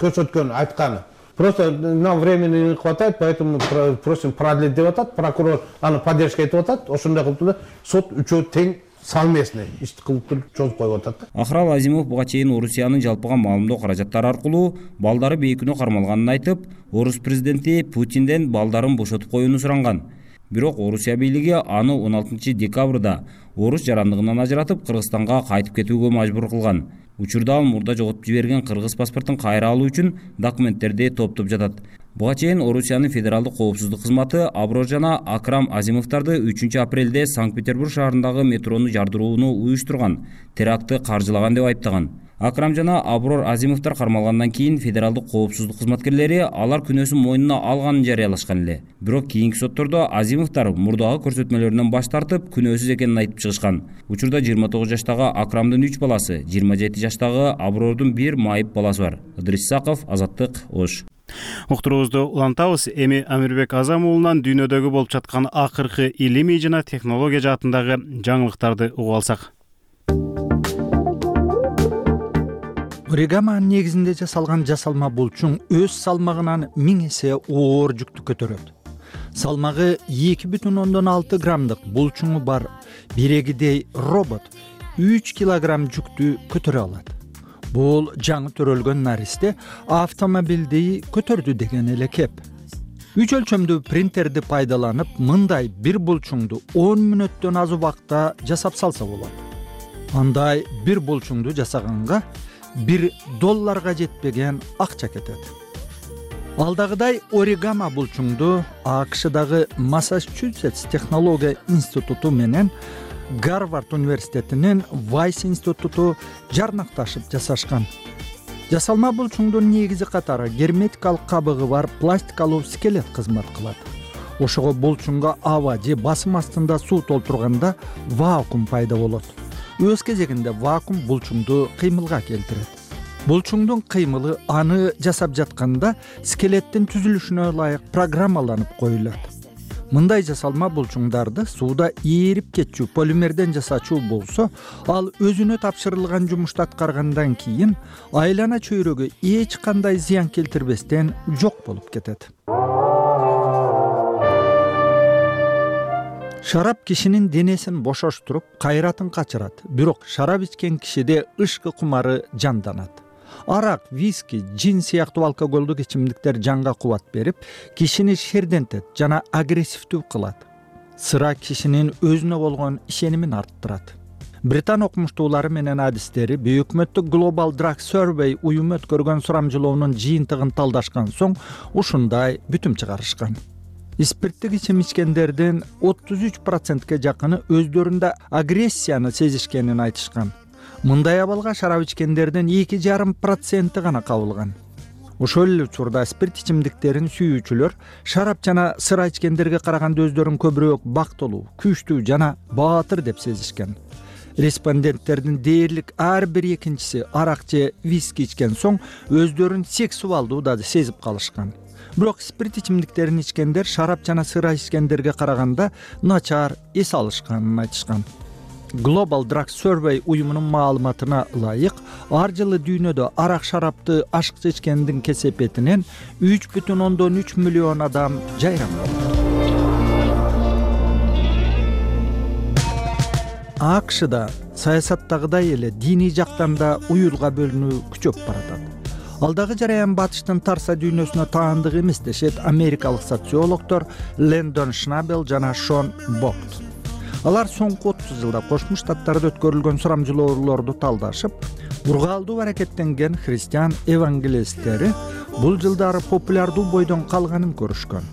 [SPEAKER 4] көрсөткөн, айтканы. Просто нам времени не хватает, поэтому просим продлить деп атат. Прокурор аны поддержка этип атат. Ошондой кылып туруп сот үчөө тең совместный ишти кылып туруп чогулуп коюп атат.
[SPEAKER 19] Ахрал Азимов буга чейин Орусиянын жалпыга маалымдоо каражаттары аркылуу балдары бейкүнөө кармалганын айтып, Орус президенти Путинден балдарын бошотуп коюуну суранган. Бирок Орусия бийлиги аны 16 декабрда орус жарандыгынан ажыратып Кыргызстанга кайтып кетүүгө мажбур кылган. Учурда ал мурда жоготуп жиберген кыргыз паспортун кайра алуу үчүн документтерди топтоп жатат. Буга чейин Орусиянын федералдык коопсуздук кызматы Аброр жана Акрам Азимовдорду 3 апрелде Санкт-Петербург шаарындагы метрону жардырууну уюштурган, терактты каржылаган деп айыптаган. Акрам жана Аброр Азимовдор кармалгандан кийин федералдык коопсуздук кызматкерлери алар күнөөсүн мойнуна алганын жарыялашкан эле. Бирок кийинки соттордо Азимовдор мурдагы көрсөтмөлөрүнөн баш тартып, күнөөсүз экенин айтып чыгышкан. Учурда 29 жаштагы Акрамдын 3 баласы, 27 жаштагы Абрордун 1 майып баласы бар. Ыдырис Исаков, Азаттык, Ош.
[SPEAKER 1] Уктуруубузду улантабыз. Эми Амирбек Азам уулунан дүйнөдөгү болуп жаткан акыркы илимий жана технология жаатындагы жаңылыктарды угуп алсак.
[SPEAKER 20] Оригами негизинде жасалган жасалма булчуң өз салмагынан 1000 эсе оор жүктү көтөрөт. Салмагы 2,6 граммдык булчуңу бар бирегидей робот 3 килограмм жүктү көтөрө алат. Бул жаңы төрөлгөн наристе автомобилди көтөрдү деген эле кеп. 3 өлчөмдүү принтерди пайдаланып, мындай бир булчуңду 10 мүнөттөн аз убакта жасап салса болот. Андай бир булчуңду жасаганга $1 жетпеген акча кетет. Алдагыдай оригами булчуңду АКШдагы Массачусетс технология институту менен Гарвард университетинин Вайс институту жарнакташып жасашкан. Жасалма булчуңдун негизи катары герметикалык кабыгы бар пластикалуу скелет кызмат кылат. Ошого булчуңга аба же басым астында суу толтурганда вакуум пайда болот. Өз кезегинде вакуум булчуңду кыймылга келтирет. Булчуңдун кыймылы аны жасап жатканда скелеттин түзүлүшүнө ылайык программаланып коюлат. Мындай жасалма булчуңдарды сууда ээрип кетчү полимерден жасачуу болсо, ал өзүнө тапшырылган жумушту аткаргандан кийин айлана чөйрөгө эч кандай зыян келтирбестен жок болуп кетет. Шарап кишинин денесин бошоштуруп, кайратын качырат. Бирок шарап ичкен кишиде ышкы кумары жанданат. Арак, виски, джин сыяктуу алкоголдук ичимдиктер жанга кубат берип, кишини шердентет жана агрессивдүү кылат. Сыра кишинин өзүнө болгон ишенимин арттырат. Британ окумуштуулары менен адистери Бейөкмөттүк Global Drug Survey уюму өткөргөн сурамжылоонун жыйынтыгын талдашкан соң ушундай бүтүм чыгарышкан. Спирттик ичим ичкендердин 33%ке жакыны өздөрүндө агрессияны сезишкенин айтышкан. Мындай абалга шарап ичкендердин 2,5% гана кабылган. Ошол эле учурда спирт ичимдиктерин сүйүүчүлөр шарап жана сыра ичкендерге караганда өздөрүн көбүрөөк бактылуу, күчтүү жана баатыр деп сезишкен. Респонденттердин дээрлик ар бир экинчиси арак же виски ичкен соң өздөрүн сексуалдуу да сезип калышкан. Бирок спирт ичимдиктерин ичкендер шарап жана сыра ичкендерге караганда начар эс алышканын айтышкан. Global Drug Survey уюмунун маалыматына ылайык, ар жылы дүйнөдө арак шарапты ашыкча ичкендин кесепетинен 3,3 миллион адам жайрам болот. АКШда саясаттагыдай эле диний жактан да уюлга бөлүнүү күчөп баратат. Алдагы жараян батыштын тарса дүйнөсүнө таандык эмес дешет америкалык социологдор Лэндон Шнабел жана Шон Бокт. Алар соңку 30 жылда Кошмо Штаттарда өткөрүлгөн сурамжылоолорду талдашып, ургаалдуу аракеттенген христиан евангелисттери бул жылдары популярдуу бойдон калганын көрүшкөн.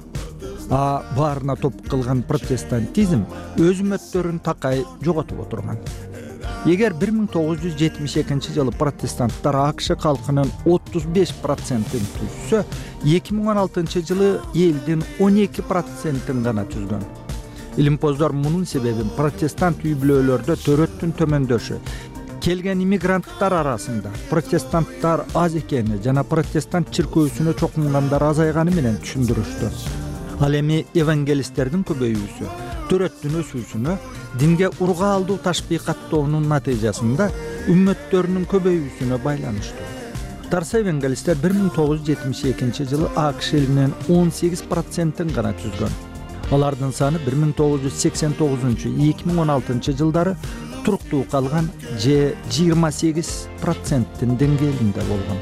[SPEAKER 20] Баарына топ кылган протестантизм өз үмөттөрүн такай жоготуп отурган. Эгер 1972 жылы протестанттар АКШ калкынын 35%-ин түзсө, 2016 жылы элдин 12%-ин гана түзгөн. Илимпоздор мунун себебин протестант үй бүлөлөрдө төрөттүн төмөндөшү, келген иммигранттар арасында протестанттар аз экени жана протестант чиркөөсүнө чокунгандар азайганы менен түшүндүрүштү. Ал эми евангелисттердин көбөйүүсү төрөттүн өсүүсүнө динге ургаалдуу ташбийкаттоонун натыйжасында үммөттөрүнүн көбөйүүсүнө байланыштуу. Тарса евангелисттер 1972 жылы АКШ элинин 18%-ин гана түзгөн. Алардын саны 1989-2016 жылдары туруктуу калган же 28%-тин деңгээлинде болгон.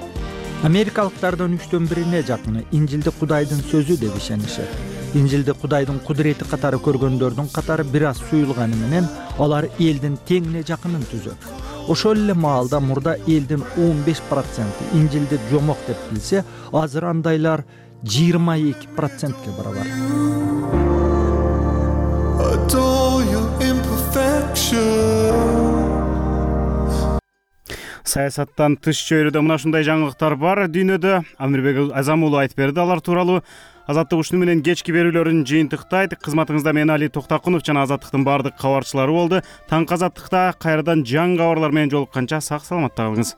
[SPEAKER 20] Америкалыктардын 1/3-үне жакыны Инжилди Кудайдын сөзү деп ишенишет. Инжилди Кудайдын кудурети катары көргөндөрдүн катары бир аз суюлганы менен алар элдин теңине жакынын түзөт. Ошол эле маалда мурда элдин 15% Инжилди жомок деп билсе, азыр андайлар 22%-ке барабар.
[SPEAKER 1] Саясаттан тыш чөйрөдө мына ушундай жаңылыктар бар дүйнөдө. Амирбек Азамуулу айтып берди алар тууралуу. Азаттык ушуну менен кечки берүүлөрүн жыйынтыктайт. Кызматыңызда мен Али Токтакунов жана Азаттыктын бардык кабарчылары болду. Таңкы Азаттыкта кайрадан жаңы кабарлар менен жолукканча сак саламатта калыңыз.